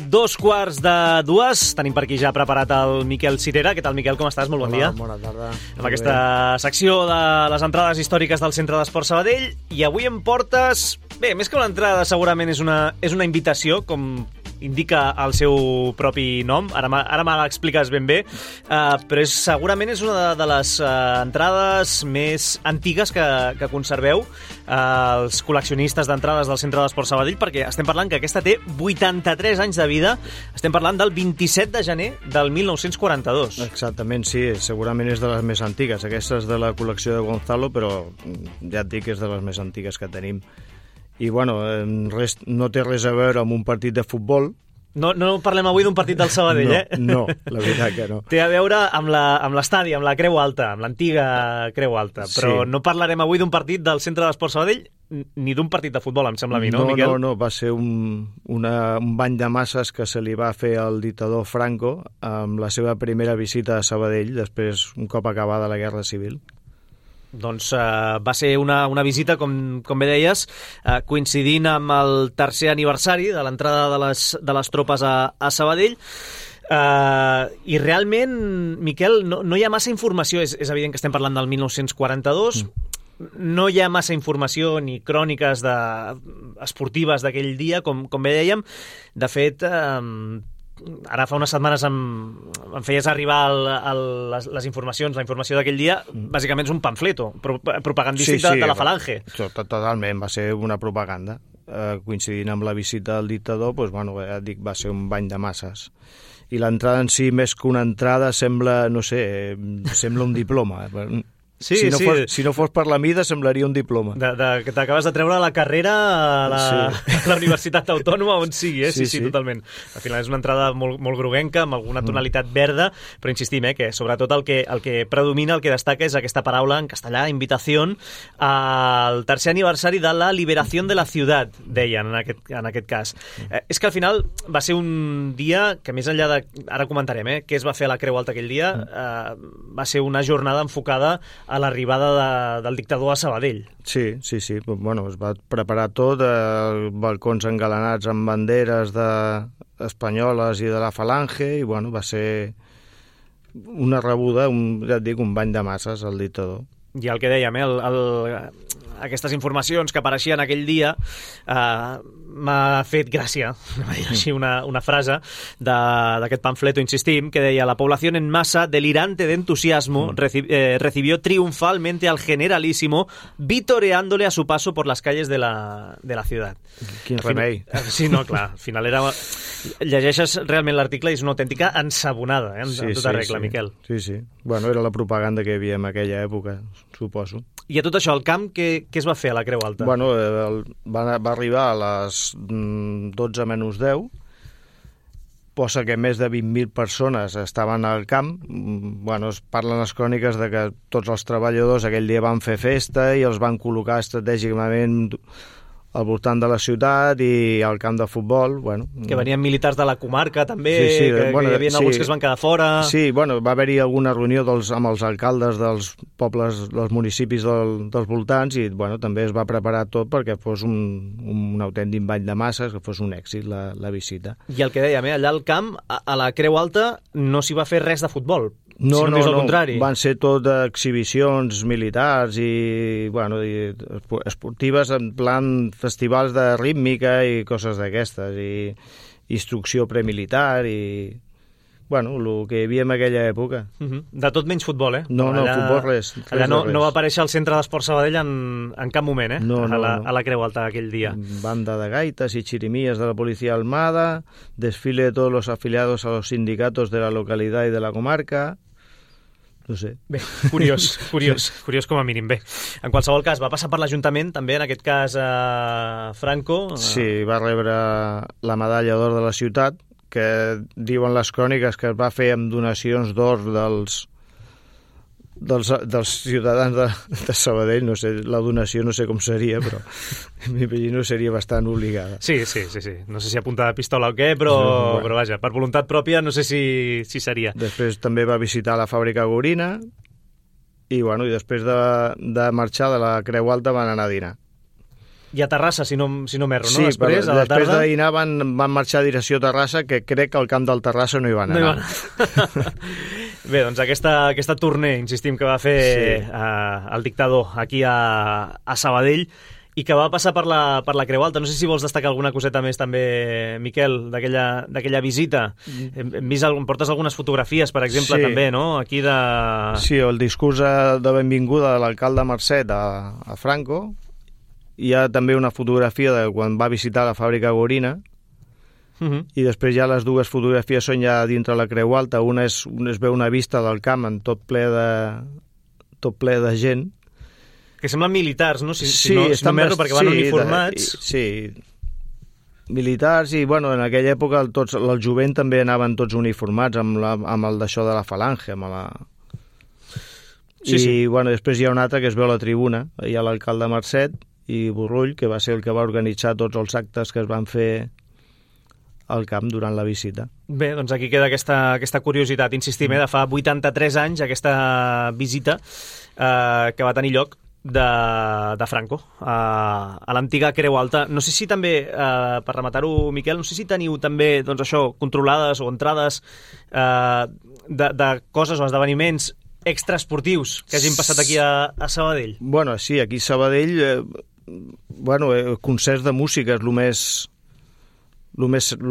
Speaker 1: 2:45. Tenim per aquí ja preparat el Miquel Cirera. Què tal, Miquel, com estàs? Molt bon dia.
Speaker 8: Bona tarda.
Speaker 1: Amb aquesta secció de les entrades històriques del Centre d'Esport Sabadell. I avui em portes... Bé, més que una entrada, segurament és una invitació, com indica el seu propi nom. Ara me l'expliques ben bé, però segurament és una de les entrades més antigues que conserveu els col·leccionistes d'entrades del Centre d'Esport Sabadell, perquè estem parlant que aquesta té 83 anys de vida. Estem parlant del 27 de gener del 1942.
Speaker 8: Exactament, sí, segurament és de les més antigues. Aquesta és de la col·lecció de Gonzalo, però ja et dic que és de les més antigues que tenim. I, bueno, no té res a veure amb un partit de futbol.
Speaker 1: No parlem avui d'un partit del Sabadell,
Speaker 8: No, la veritat que no.
Speaker 1: Té a veure amb l'estadi, amb la Creu Alta, amb l'antiga Creu Alta, però no parlarem avui d'un partit del Centre d'Esport Sabadell ni d'un partit de futbol, em sembla a mi, no, Miquel?
Speaker 8: No, va ser un bany de masses que se li va fer al dictador Franco amb la seva primera visita a Sabadell, després, un cop acabada la Guerra Civil.
Speaker 1: Doncs va ser una visita, com bé deies, coincidint amb el tercer aniversari de l'entrada de les tropes a Sabadell. I realment, Miquel, no hi ha massa informació. És evident que estem parlant del 1942. No hi ha massa informació ni cròniques esportives d'aquell dia, com bé dèiem. De fet, ara fa unes setmanes em feies arribar les informacions, la informació d'aquell dia, bàsicament és un pamfleto propagandístic de la Falange.
Speaker 8: Totalment, va ser una propaganda. Coincidint amb la visita del dictador, doncs, bueno, ja et dic, va ser un bany de masses. I l'entrada en si, més que una entrada, sembla, no sé, sembla un diploma.
Speaker 1: Sí,
Speaker 8: si no fos per la mida, semblaria un diploma.
Speaker 1: Que t'acabes de treure la carrera a la Universitat Autònoma, on sigui, sí, totalment. Al final és una entrada molt groguenca, amb alguna tonalitat verda, però insistim, que sobretot el que predomina, el que destaca és aquesta paraula en castellà, invitación, al tercer aniversari de la liberació de la ciutat, deien en aquest cas. És que al final va ser un dia que, més enllà de... Ara comentarem, què es va fer a la Creu Alta aquell dia, va ser una jornada enfocada a l'arribada del dictador a Sabadell.
Speaker 8: Sí. Bueno, es va preparar tot, balcons engalanats amb banderes espanyoles i de la Falange, i bueno, va ser una rebuda, ja et dic, un bany de masses al dictador.
Speaker 1: I el que dèiem, aquestes informacions que apareixien aquell dia, m'ha fet gràcia, així una frase d'aquest pamfleto, insistim, que deia: la población en masa, delirante de entusiasmo, recibió triunfalmente al generalísimo, vitoreándole a su paso por las calles de la ciudad.
Speaker 8: Quin remei.
Speaker 1: Sí, no, clar, al final era... Llegeixes realment l'article i és una autèntica ensabonada, en tota regla, Miquel.
Speaker 8: Sí. Bueno, era la propaganda que hi havia en aquella època, suposo.
Speaker 1: I a tot això, el camp, què es va fer a la Creu Alta?
Speaker 8: Bueno, va arribar a les 12 menys 10, posa que més de 20.000 persones estaven al camp. Bueno, es parlen les cròniques de que tots els treballadors aquell dia van fer festa i els van col·locar estratègicament al voltant de la ciutat i al camp de futbol. Bueno,
Speaker 1: que venien militars de la comarca també,
Speaker 8: sí,
Speaker 1: que hi havia alguns que es van quedar fora.
Speaker 8: Sí, bueno, va haver-hi alguna reunió amb els alcaldes dels pobles, dels municipis dels voltants i bueno, també es va preparar tot perquè fos un autèntic ball de masses, que fos un èxit la visita.
Speaker 1: I el que dèiem, allà al camp, a la Creu Alta, no s'hi va fer res de futbol.
Speaker 8: No,
Speaker 1: sinó més al contrari.
Speaker 8: Van ser tot exhibicions militars i, bueno, i esportives en plan festivals de rítmica i coses d'aquestes, i instrucció premilitar i, bueno, el que hi havia en aquella època.
Speaker 1: De tot menys futbol, eh?
Speaker 8: No, futbol res.
Speaker 1: Allà no va aparèixer al centre d'Esport Sabadell en cap moment, eh?
Speaker 8: No.
Speaker 1: A la Creu Alta aquell dia.
Speaker 8: Banda de gaitas y chirimías de la Policía Armada, desfile de todos los afiliados a los sindicatos de la localidad y de la comarca. No sé.
Speaker 1: Bé, curiós com a mínim. Bé, en qualsevol cas, va passar per l'Ajuntament, també, en aquest cas, Franco.
Speaker 8: Sí, va rebre la medalla d'or de la ciutat, que diuen les cròniques que es va fer amb donacions d'or dels ciutadans de Sabadell. No sé, la donació no sé com seria, però m'imagino seria bastant obligada.
Speaker 1: Sí. No sé si a punta de pistola o què, però vaja, per voluntat pròpia no sé si seria.
Speaker 8: Després també va visitar la fàbrica Gorina i, bueno, i després de marxar de la Creu Alta van anar a dinar.
Speaker 1: I a Terrassa, si no m'erro,
Speaker 8: sí,
Speaker 1: no? Després
Speaker 8: de dinar van marxar a direcció a Terrassa, que crec que al camp del Terrassa no hi van anar.
Speaker 1: Bé, doncs aquesta tournée, insistim, que va fer el dictador aquí a Sabadell i que va passar per la Creu Alta. No sé si vols destacar alguna coseta més també, Miquel, d'aquella visita. Hem vist, portes algunes fotografies, per exemple, també, no? Aquí de...
Speaker 8: Sí, el discurs de benvinguda de l'alcalde Marcet a Franco. Hi ha també una fotografia de quan va visitar la fàbrica Gorina, i després ja les dues fotografies són ja dintre la Creu Alta. Una es veu una vista del camp en tot ple de gent.
Speaker 1: Que semblen militars, no? Si no m'erro, perquè van uniformats.
Speaker 8: Sí, militars, i bueno, en aquella època el jovent també anaven tots uniformats amb el d'això de la falange, amb la... I bueno, després hi ha un altre que es veu a la tribuna, hi ha l'alcalde Marcet i Borrull, que va ser el que va organitzar tots els actes que es van fer al camp durant la visita.
Speaker 1: Bé, doncs aquí queda aquesta curiositat, insistim, de fa 83 anys, aquesta visita que va tenir lloc de Franco a l'antiga Creu Alta. No sé si també, per rematar-ho, Miquel, no sé si teniu també, doncs això, controlades o entrades de coses o esdeveniments extraesportius que hagin passat aquí a Sabadell.
Speaker 8: Bueno, sí, aquí a Sabadell, concerts de música és el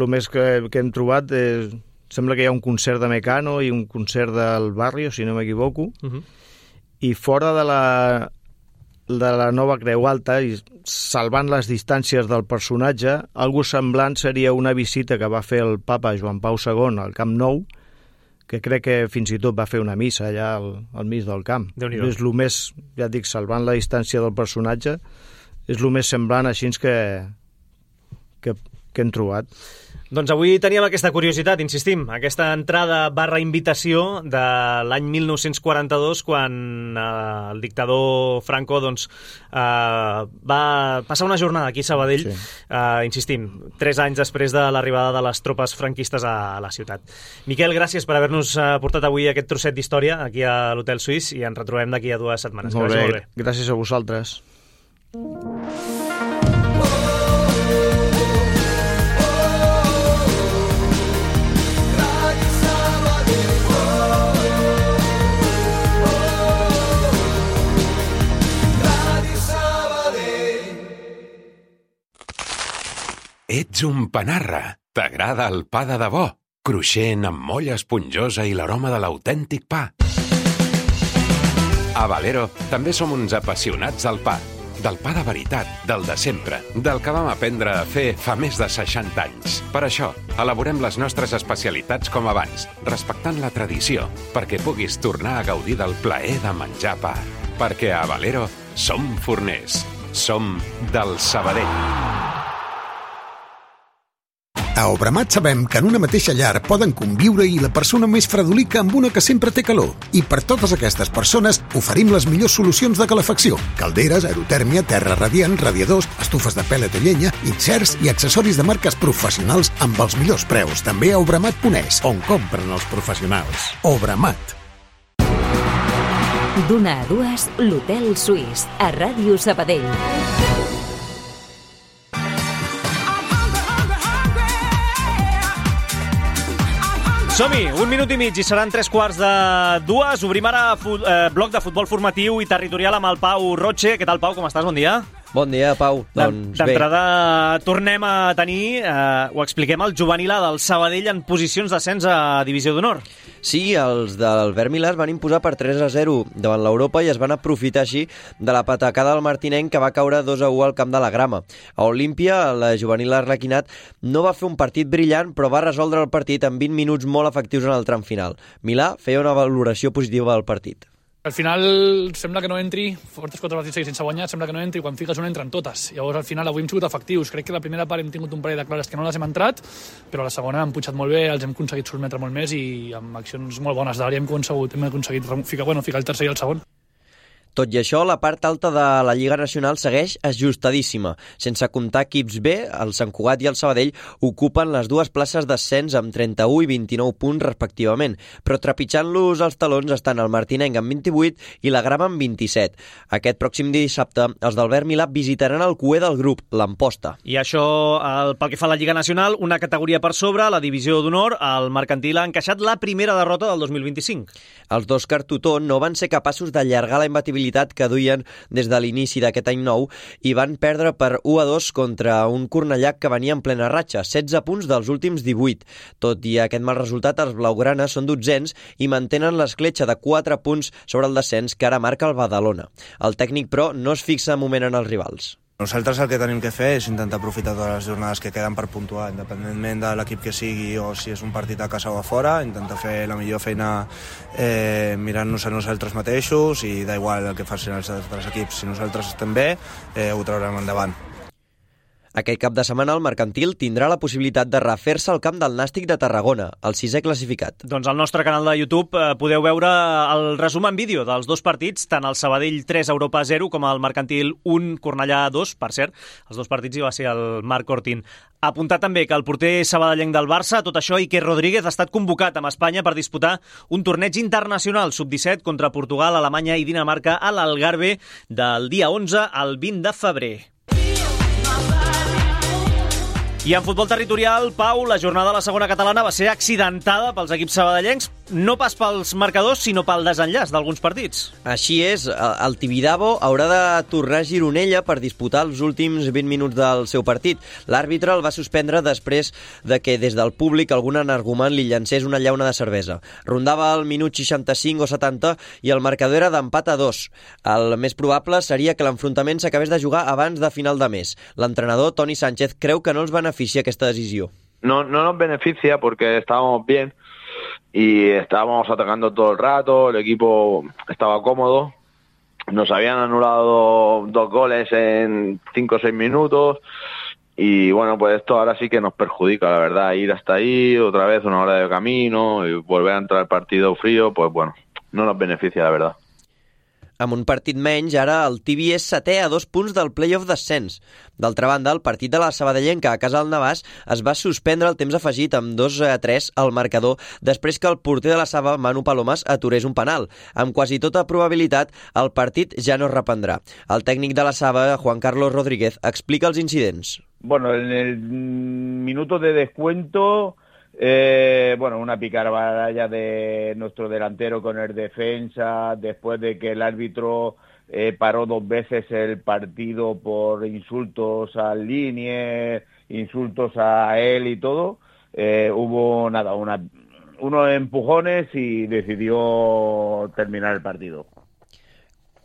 Speaker 8: més que hem trobat. Sembla que hi ha un concert de Mecano i un concert del Barrio, si no m'equivoco. I fora de la nova Creu Alta, i salvant les distàncies del personatge, algo semblant seria una visita que va fer el papa Joan Pau II al Camp Nou, que crec que fins i tot va fer una missa allà al mig del camp. És el més, ja et dic, salvant la distància del personatge, és el més semblant així que hem trobat.
Speaker 1: Doncs avui teníem aquesta curiositat, insistim, aquesta entrada / invitació de l'any 1942, quan el dictador Franco va passar una jornada aquí a Sabadell, insistim, 3 anys després de l'arribada de les tropes franquistes a la ciutat. Miquel, gràcies per haver-nos portat avui aquest trosset d'història aquí a l'Hotel Suís i ens retrobem d'aquí a 2 setmanes.
Speaker 8: Molt bé, gràcies a vosaltres.
Speaker 9: Ets un panarra. T'agrada el pa de debò? Cruixent, amb molla esponjosa i l'aroma de l'autèntic pa. A Valero també som uns apassionats del pa. Del pa de veritat, del de sempre, del que vam aprendre a fer fa més de 60 anys. Per això, elaborem les nostres especialitats com abans, respectant la tradició, perquè puguis tornar a gaudir del plaer de menjar pa. Perquè a Valero som forners. Som del Sabadell.
Speaker 10: A Obramat sabem que en una mateixa llar poden conviure-hi la persona més fredolica amb una que sempre té calor. I per totes aquestes persones oferim les millors solucions de calefacció. Calderes, aerotèrmia, terra radiant, radiadors, estufes de pèl·let o llenya, inserts i accessoris de marques professionals amb els millors preus. També a Obramat.es, on compren els professionals. Obramat.
Speaker 2: D'una a dues, l'Hotel Suís, a Ràdio Sabadell.
Speaker 1: Som-hi, 1 minut i mig i seran 3:15. Obrim ara bloc de futbol formatiu i territorial amb el Pau Roche. Què tal, Pau? Com estàs? Bon dia.
Speaker 11: Bon dia, Pau. Doncs bé.
Speaker 1: D'entrada tornem a tenir, ho expliquem, el juvenil A del Sabadell en posicions d'ascens a Divisió d'Honor.
Speaker 11: Sí, els del Vèrmila es van imposar per 3-0 davant l'Europa i es van aprofitar així de la patacada del martinenc que va caure 2-1 al camp de la Grama. A Olímpia, la juvenil Arlequinat no va fer un partit brillant, però va resoldre el partit en 20 minuts molt efectius en el tram final. Milà feia una valoració positiva del partit.
Speaker 12: Al final sembla que no entri, portes 4 partits seguits sense guanyar, sembla que no entri, quan fiques una entren totes. Llavors al final avui hem sigut efectius. Crec que la primera part hem tingut un parell de clares que no les hem entrat, però la segona hem punxat molt bé, els hem aconseguit sotmetre molt més i amb accions molt bones d'àrea hem aconseguit ficar el tercer i el segon.
Speaker 11: Tot i això, la part alta de la Lliga Nacional segueix ajustadíssima. Sense comptar equips B, el Sant Cugat i el Sabadell ocupen les dues places d'ascens amb 31 i 29 punts respectivament, però trepitjant-los els talons estan el Martinenc amb 28 i la Grama amb 27. Aquest pròxim dissabte, els del Vèrmila visitaran el cué del grup, l'Amposta.
Speaker 1: I això, pel que fa a la Lliga Nacional, una categoria per sobre, la Divisió d'Honor, el Mercantil ha encaixat la primera derrota del 2025.
Speaker 11: Els dos Cartutó no van ser capaços d'allargar la imbatibilitat que duien des de l'inici d'aquest any nou i van perdre per 1-2 contra un Cornellà que venia en plena ratxa, 16 punts dels últims 18. Tot i aquest mal resultat, els blaugranes són dotzens i mantenen l'escletxa de 4 punts sobre el descens que ara marca el Badalona. El tècnic, però, no es fixa un moment en els rivals.
Speaker 13: Nosaltres el que tenim que fer és intentar aprofitar totes les jornades que queden per puntuar, independentment de l'equip que sigui o si és un partit a casa o a fora, intentar fer la millor feina mirant-nos a nosaltres mateixos i d'igual el que facin els altres equips. Si nosaltres estem bé, ho traurem endavant.
Speaker 11: Aquest cap de setmana el Mercantil tindrà la possibilitat de refer-se al camp del Nàstic de Tarragona, el 6è classificat.
Speaker 1: Doncs al nostre canal de YouTube podeu veure el resum en vídeo dels dos partits, tant el Sabadell 3 Europa 0 com el Mercantil 1 Cornellà 2, per cert. Els dos partits hi va ser el Marc Ortín. Apuntar també que el porter sabadellenc del Barça, tot això, Iker Rodríguez, ha estat convocat amb Espanya per disputar un torneig internacional sub-17 contra Portugal, Alemanya i Dinamarca a l'Algarve del dia 11 al 20 de febrer. I en futbol territorial, Pau, la jornada de la segona catalana va ser accidentada pels equips sabadellencs, no pas pels marcadors, sinó pel desenllaç d'alguns partits.
Speaker 11: Així és, el Tibidabo haurà de tornar a Gironella per disputar els últims 20 minuts del seu partit. L'àrbitre el va suspendre després de que des del públic algun energument li llancés una llauna de cervesa. Rondava el minut 65 o 70 i el marcador era d'empat a 2. El més probable seria que l'enfrontament s'acabés de jugar abans de final de mes. L'entrenador, Toni Sánchez, creu que no els beneficia aquesta decisió.
Speaker 14: No nos beneficia porque estábamos bien y estábamos atacando todo el rato, el equipo estaba cómodo, nos habían anulado 2 goles en 5 o 6 minutos y bueno, pues esto ahora sí que nos perjudica, la verdad, ir hasta ahí, otra vez una hora de camino y volver a entrar al partido frío, pues bueno, no nos beneficia, la verdad.
Speaker 11: Amb un partit menys, ara el Tibi és 7è a 2 punts del play-off d'ascens. D'altra banda, el partit de la Sabadellenca a casa del Navàs es va suspendre el temps afegit amb 2-3 al marcador després que el porter de la Saba, Manu Palomas, aturés un penal. Amb quasi tota probabilitat, el partit ja no es reprendrà. El tècnic de la Saba, Juan Carlos Rodríguez, explica els incidents.
Speaker 15: Bueno, en el minuto de descuento... una picabaralla de nuestro delantero con el defensa, después de que el árbitro paró 2 veces el partido por insultos al Linier, insultos a él y todo, hubo unos empujones y decidió terminar el partido.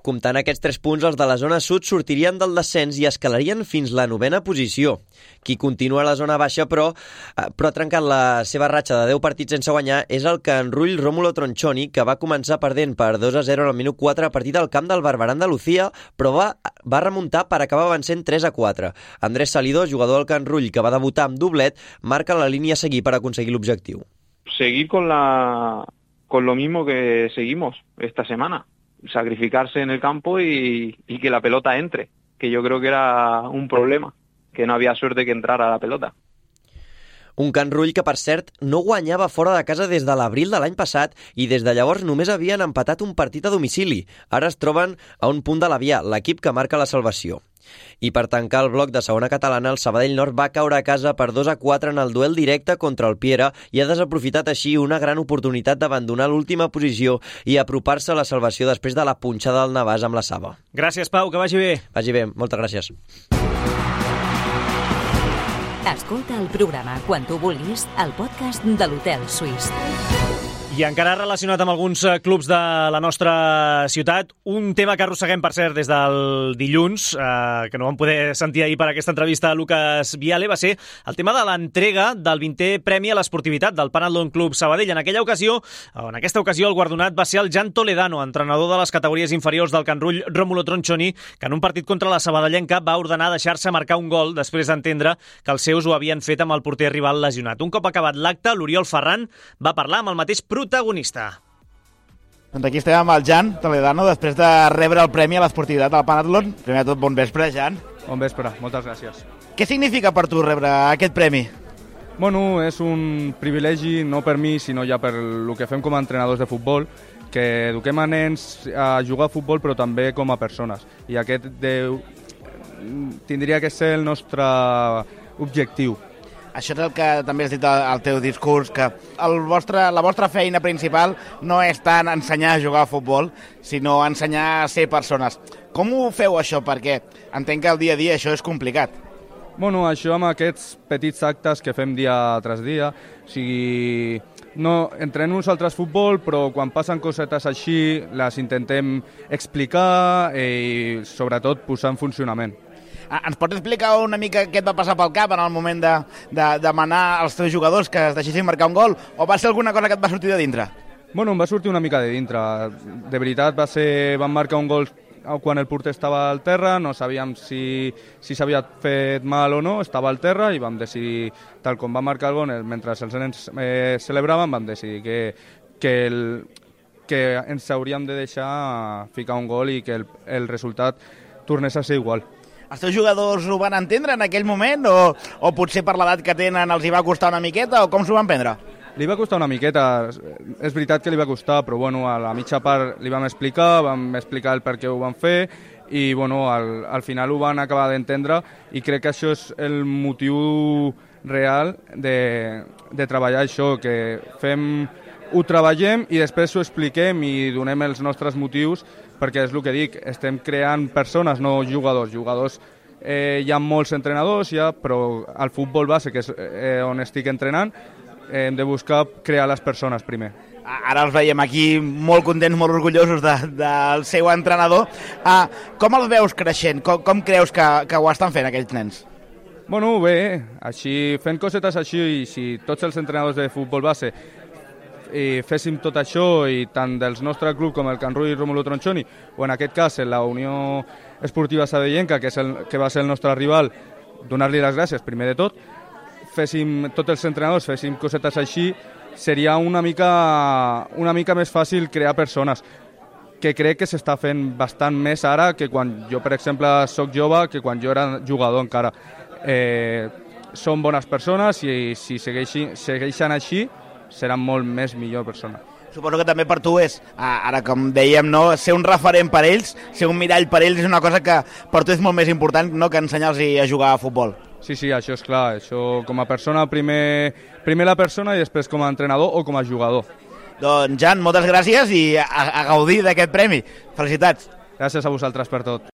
Speaker 11: Comptant aquests 3 punts, els de la zona sud sortirien del descens i escalarien fins la 9ª posició. Qui continua a la zona baixa, però ha trencat la seva ratxa de 10 partits sense guanyar, és el Can Rull Rómulo Tronchoni, que va començar perdent per 2-0 al minut 4 a partir del camp del Barberà Andalucía, però va remuntar per acabar vencent 3-4. Andrés Salidó, jugador del Can Rull, que va debutar amb doblet, marca la línia a seguir per aconseguir l'objectiu.
Speaker 16: Seguir con lo mismo que seguimos esta semana. Sacrificarse en el campo y que la pelota entre, que yo creo que era un problema, que no había suerte que entrara la pelota.
Speaker 11: Un Can Rull que, per cert, no guanyava fora de casa des de l'abril de l'any passat i des de llavors només havien empatat un partit a domicili. Ara es troben a un punt de l'Avià, l'equip que marca la salvació. I per tancar el bloc de segona catalana, el Sabadell Nord va caure a casa per 2-4 en el duel directe contra el Piera i ha desaprofitat així una gran oportunitat d'abandonar l'última posició i apropar-se a la salvació després de la punxada del Navàs amb la Saba.
Speaker 1: Gràcies, Pau, que vagi bé.
Speaker 11: Vagi bé, moltes gràcies.
Speaker 2: Escolta el programa quan tu vulguis al podcast de l'Hotel Suís.
Speaker 1: I encara relacionat amb alguns clubs de la nostra ciutat, un tema que arrosseguem, per cert, des del dilluns, que no vam poder sentir ahir per aquesta entrevista a Lucas Viale, va ser el tema de l'entrega del 20è Premi a l'Esportivitat del Panathlon Club Sabadell. En aquesta ocasió, el guardonat va ser el Jan Toledano, entrenador de les categories inferiors del Can Rull Rómulo Tronchoni, que en un partit contra la Sabadellenca va ordenar deixar-se marcar un gol després d'entendre que els seus ho havien fet amb el porter rival lesionat. Un cop acabat l'acte, l'Oriol Ferran va parlar amb el mateix protagonista.
Speaker 17: Doncs aquí estem amb el Jan Toledano, després de rebre el premi a l'esportivitat del Panathlon. Primer de tot, bon vespre, Jan.
Speaker 18: Bon vespre, moltes gràcies.
Speaker 17: Què significa per tu rebre aquest premi?
Speaker 18: Bueno, és un privilegi, no per mi, sinó ja per el que fem com a entrenadors de futbol, que eduquem a nens a jugar a futbol, però també com a persones. I aquest tindria que ser el nostre objectiu.
Speaker 17: Això és el que també has dit al teu discurs, que la vostra feina principal no és tant ensenyar a jugar a futbol, sinó ensenyar a ser persones. Com ho feu, això? Perquè entenc que el dia a dia això és complicat.
Speaker 18: Bueno, això amb aquests petits actes que fem dia tras dia, o sigui, no, entrenem nosaltres futbol, però quan passen cosetes així les intentem explicar i sobretot posar en funcionament.
Speaker 17: Ens pots explicar una mica què et va passar pel cap en el moment de demanar als teus jugadors que es deixessin marcar un gol, o va ser alguna cosa que et va sortir de dintre?
Speaker 18: Bueno, em va sortir una mica de dintre. De veritat, van marcar un gol quan el porter estava al terra, no sabíem si s'havia fet mal o no, estava al terra i vam decidir, tal com va marcar el gol, mentre els nens celebraven, vam decidir que ens hauríem de deixar ficar un gol i que el resultat tornés a ser igual.
Speaker 17: Els teus jugadors ho van entendre en aquell moment o potser per l'edat que tenen els hi va costar una miqueta o com s'ho van prendre?
Speaker 18: Li va costar una miqueta, és veritat que li va costar, però bueno, a la mitja part li vam explicar el per què ho van fer i bueno, al final ho van acabar d'entendre i crec que això és el motiu real de treballar això, que ho treballem i després ho expliquem i donem els nostres motius, perquè és el que dic, estem creant persones, no jugadors. Jugadors hi ha molts entrenadors, però al futbol base, que és on estic entrenant, hem de buscar crear les persones primer.
Speaker 17: Ara els veiem aquí molt contents, molt orgullosos del seu entrenador. Com els veus creixent? Com creus que ho estan fent aquells nens?
Speaker 18: Bueno, bé, així, fent cosetes així, i si tots els entrenadors de futbol base féssim tot això, i tant del nostre club com el Can Rull Rómulo Tronchoni, o en aquest cas la Unió Esportiva Sabadellenca, que va ser el nostre rival, donar-li les gràcies primer de tot, tots els entrenadors féssim cosetes així, seria una mica més fàcil crear persones, que crec que s'està fent bastant més ara que quan jo, per exemple, soc jove, que quan jo era jugador encara. Són bones persones i si segueixen així, seran molt més millor persona.
Speaker 17: Suposo que també per tu és, ara com dèiem, ser un referent per ells, ser un mirall per ells és una cosa que per tu és molt més important que ensenyar-los a jugar a futbol.
Speaker 18: Sí, això és clar. Això com a persona, primer la persona i després com a entrenador o com a jugador.
Speaker 17: Doncs Jan, moltes gràcies i a gaudir d'aquest premi. Felicitats.
Speaker 18: Gràcies a vosaltres per tot.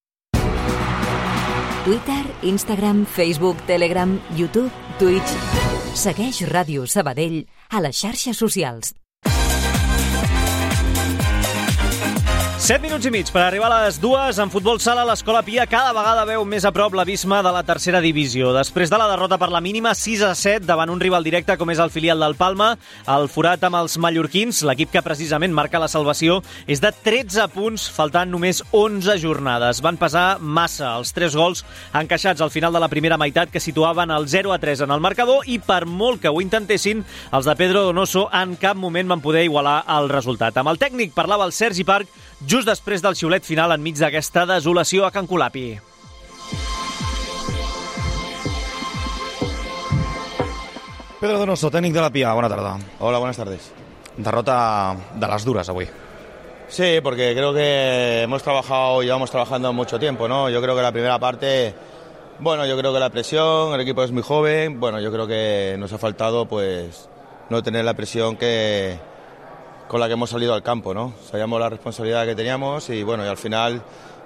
Speaker 2: Twitter, Instagram, Facebook, Telegram, YouTube, Twitch. Segueix Ràdio Sabadell a les xarxes socials.
Speaker 1: 7 minuts i mig per arribar a les 2. En futbol sala, l'Escola Pia cada vegada veu més a prop l'abisme de la tercera divisió. Després de la derrota per la mínima 6-7 davant un rival directe com és el filial del Palma, el forat amb els mallorquins, l'equip que precisament marca la salvació, és de 13 punts, faltant només 11 jornades. Van pesar massa els 3 gols encaixats al final de la primera meitat que situaven el 0-3 en el marcador i per molt que ho intentessin, els de Pedro Donoso en cap moment van poder igualar el resultat. Amb el tècnic parlava el Sergi Parc just després del xiulet final enmig d'aquesta desolació a Can Colapi.
Speaker 19: Pedro Donoso, técnico de la Pia, buena tarde.
Speaker 20: Hola, buenas tardes.
Speaker 19: Derrota de las duras hoy.
Speaker 20: Sí, porque creo que llevamos trabajando mucho tiempo, ¿no? Yo creo que la primera parte, bueno, yo creo que la presión, el equipo es muy joven, bueno, yo creo que nos ha faltado pues no tener la presión con la que hemos salido al campo, ¿no? Sabíamos la responsabilidad que teníamos y bueno, y al final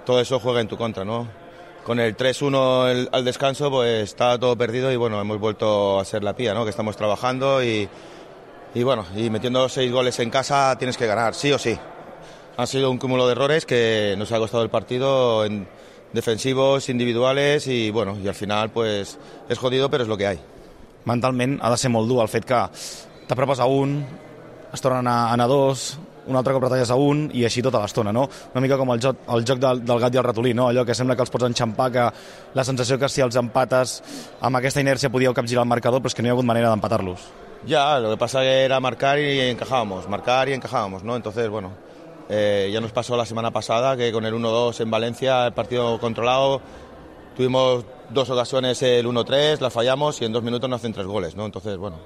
Speaker 20: todo eso juega en tu contra, ¿no? Con el 3-1 al descanso pues estaba todo perdido y bueno, hemos vuelto a ser la Pia, ¿no? Que estamos trabajando y bueno, y metiendo 6 goles en casa tienes que ganar, sí o sí. Ha sido un cúmulo de errores que nos ha costado el partido en defensivos, individuales i bueno, i al final pues és jodido, però és el que hi ha.
Speaker 19: Mentalment ha de ser molt dur el fet que t'apropes a un, es tornen a anar 2, un altre cop retalles a un i així tota l'estona, no? Una mica com el joc del gat i el ratolí, no? Allò que sembla que els pots enxampar, que la sensació que si els empates amb aquesta inèrcia podíeu capgirar el marcador, però és que no hi ha hagut manera d'empatar-los.
Speaker 20: Ya, lo que pasa era marcar y encajábamos, ¿no? Entonces, bueno, ya nos pasó la semana pasada que con el 1-2 en Valencia, el partido controlado, tuvimos 2 ocasiones el 1-3, las fallamos y en 2 minutos nos hacen 3 goles, ¿no? Entonces, bueno,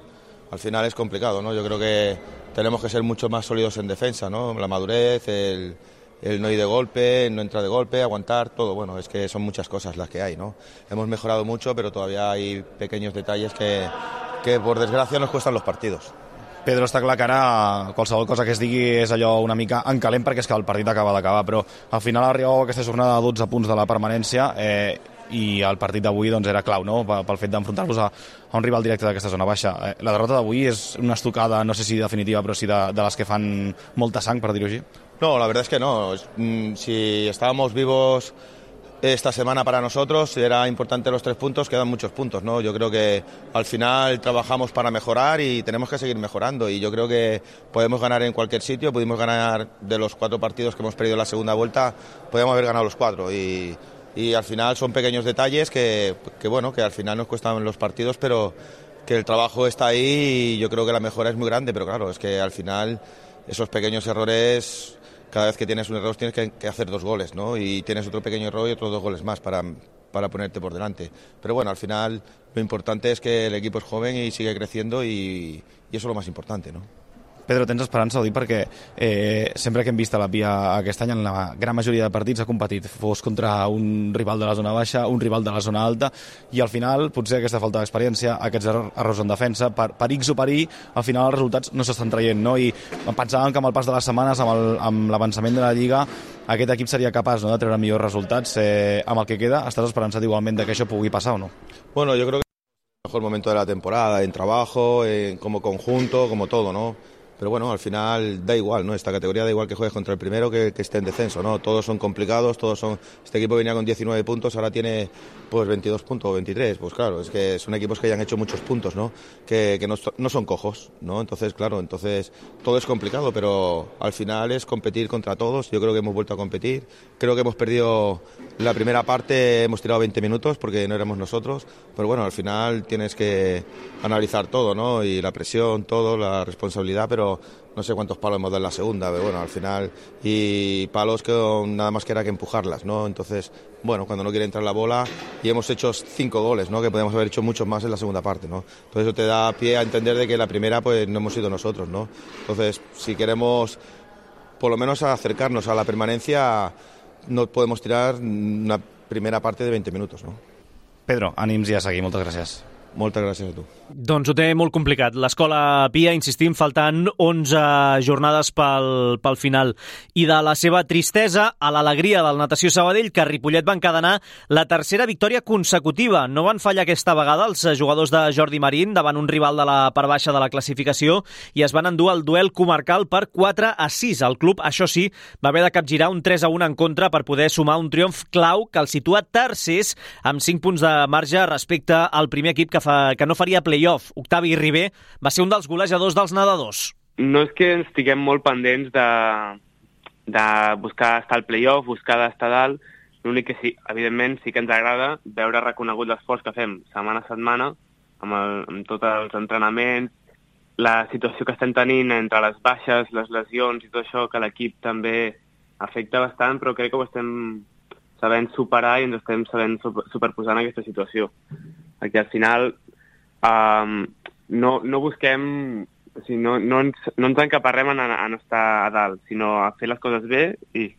Speaker 20: al final es complicado, ¿no? Yo creo que tenemos que ser mucho más sólidos en defensa, ¿no? La madurez, el no ir de golpe, no entrar de golpe, aguantar, todo. Bueno, es que son muchas cosas las que hay, ¿no? Hemos mejorado mucho, pero todavía hay pequeños detalles que por desgracia nos cuestan los partidos.
Speaker 19: Pedro, està clar que ara qualsevol cosa que es digui és allò una mica en calent perquè és que el partit acaba d'acabar, però al final arribeu a aquesta jornada de 12 punts de la permanència i el partit d'avui doncs, era clau, no? Pel fet d'enfrontar-vos a un rival directe d'aquesta zona baixa. La derrota d'avui és una estocada, no sé si definitiva, però sí de les que fan molta sang, per dir-ho així?
Speaker 20: No, la verdad es que no. Si estábamos vivos esta semana para nosotros, era importante los 3 puntos, quedan muchos puntos, ¿no? Yo creo que al final trabajamos para mejorar y tenemos que seguir mejorando y yo creo que podemos ganar en cualquier sitio, pudimos ganar de los 4 partidos que hemos perdido en la segunda vuelta, podemos haber ganado los 4 y al final son pequeños detalles que bueno, que al final nos cuestan los partidos, pero que el trabajo está ahí y yo creo que la mejora es muy grande, pero claro, es que al final esos pequeños errores, cada vez que tienes un error tienes que hacer 2 goles, ¿no? Y tienes otro pequeño error y otros 2 goles más para ponerte por delante. Pero bueno, al final lo importante es que el equipo es joven y sigue creciendo y eso es lo más importante, ¿no?
Speaker 19: Pedro, tens esperança, ho dic perquè sempre que hem vist a la Pia aquest any en la gran majoria de partits ha competit, fos contra un rival de la zona baixa, un rival de la zona alta i al final potser aquesta falta d'experiència, aquests errors en defensa, per X o per Y, al final els resultats no s'estan traient, no? I pensàvem que amb el pas de les setmanes, amb l'avançament de la Lliga, aquest equip seria capaç, no?, de treure millors resultats. Amb el que queda, estàs esperançat igualment que això pugui passar o no?
Speaker 20: Bueno, yo creo que es el mejor momento de la temporada, en trabajo, como conjunto, como todo, ¿no? Pero bueno, al final da igual, ¿no? Esta categoría da igual que juegues contra el primero que esté en descenso, ¿no? Todos son complicados, este equipo venía con 19 puntos, ahora tiene pues 22 puntos o 23, pues claro, es que son equipos que ya han hecho muchos puntos, ¿no? Que no son cojos, ¿no? Entonces, claro, todo es complicado, pero al final es competir contra todos. Yo creo que hemos vuelto a competir, creo que hemos perdido la primera parte, hemos tirado 20 minutos porque no éramos nosotros, pero bueno, al final tienes que analizar todo, ¿no? Y la presión, todo, la responsabilidad, pero no sé cuántos palos hemos dado en la segunda, pero bueno, al final, y palos que nada más que era que empujarlas, ¿no? Entonces, bueno, cuando no quiere entrar la bola, y hemos hecho 5 goles, ¿no? Que podemos haber hecho muchos más en la segunda parte, ¿no? Entonces eso te da pie a entender de que la primera pues no hemos sido nosotros, ¿no? Entonces, si queremos por lo menos acercarnos a la permanencia, no podemos tirar una primera parte de 20 minutos, ¿no?
Speaker 19: Pedro, ànims i a seguir, moltes gràcies.
Speaker 20: Moltes gràcies a tu.
Speaker 1: Doncs ho té molt complicat. L'Escola Pia, insistim, faltant 11 jornades pel final. I de la seva tristesa a l'alegria del Natació Sabadell, que Ripollet va encadenar la tercera victòria consecutiva. No van fallar aquesta vegada els jugadors de Jordi Marín davant un rival de la part baixa de la classificació i es van endur el duel comarcal per 4-6. El club, això sí, va haver de capgirar un 3-1 en contra per poder sumar un triomf clau que el situa tercers amb 5 punts de marge respecte al primer equip que no faria play-off. Octavi Ribé va ser un dels golejadors dels nedadors.
Speaker 16: No és que estiguem molt pendents de buscar estar al play-off, buscar d'estar dalt. L'únic que sí, evidentment, sí que ens agrada veure reconegut l'esforç que fem setmana a setmana amb tots els entrenaments, la situació que estem tenint entre les baixes, les lesions i tot això, que l'equip també afecta bastant, però crec que ho estem sabent superar i ens estem sabent superposar en aquesta situació. Perquè al final no busquem, o sigui, no ens encaparrem a no estar a dalt, sinó a fer les coses bé i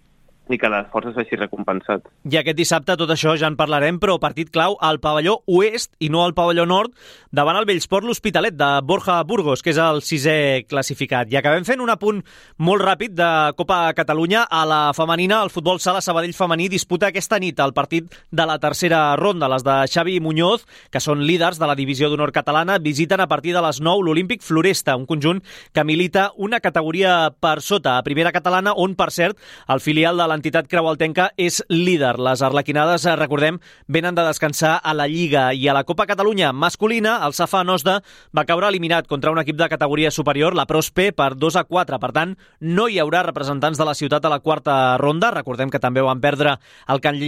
Speaker 16: que l'esforç s'hagi recompensat.
Speaker 1: I aquest dissabte tot això ja en parlarem, però partit clau al pavelló oest i no al pavelló nord davant el Bellsport l'Hospitalet de Borja Burgos, que és el 6è classificat. I acabem fent un apunt molt ràpid de Copa Catalunya. A la femenina, el futbol sala Sabadell femení disputa aquesta nit el partit de la tercera ronda. Les de Xavi Muñoz, que són líders de la divisió d'honor catalana, visiten a partir de les 9 l'Olímpic Floresta, un conjunt que milita una categoria per sota a primera catalana, on, per cert, el filial de l'entitat creualtenca és líder. Les arlequinades, recordem, venen de descansar a la Lliga. I a la Copa Catalunya masculina, el Safà Nosda va caure eliminat contra un equip de categoria superior, la Prospe, per 2-4. Per tant, no hi haurà representants de la ciutat a la quarta ronda. Recordem que també van perdre el Can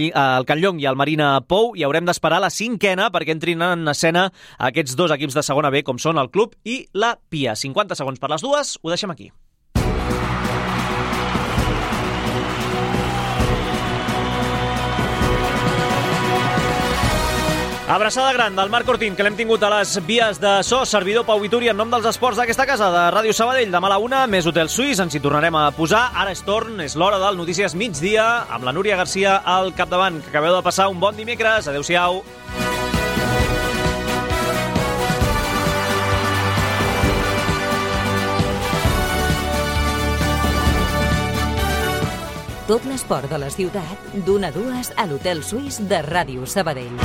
Speaker 1: Llong i el Marina Pou, i haurem d'esperar la 5a perquè entrin en escena aquests dos equips de segona B, com són el Club i la Pia. 50 segons per les dues, ho deixem aquí. Abraçada gran del Marc Ortín, que l'hem tingut a les vies de so. Servidor Pau Vituri, en nom dels esports d'aquesta casa de Ràdio Sabadell. Demà a la 1, més Hotel Suís, ens hi tornarem a posar. Ara és torn, és l'hora del Notícies Migdia, amb la Núria Garcia al capdavant. Que acabeu de passar un bon dimecres. Adéu-siau.
Speaker 2: Tot l'esport de la ciutat, d'1 a 2 a l'Hotel Suís de Ràdio Sabadell.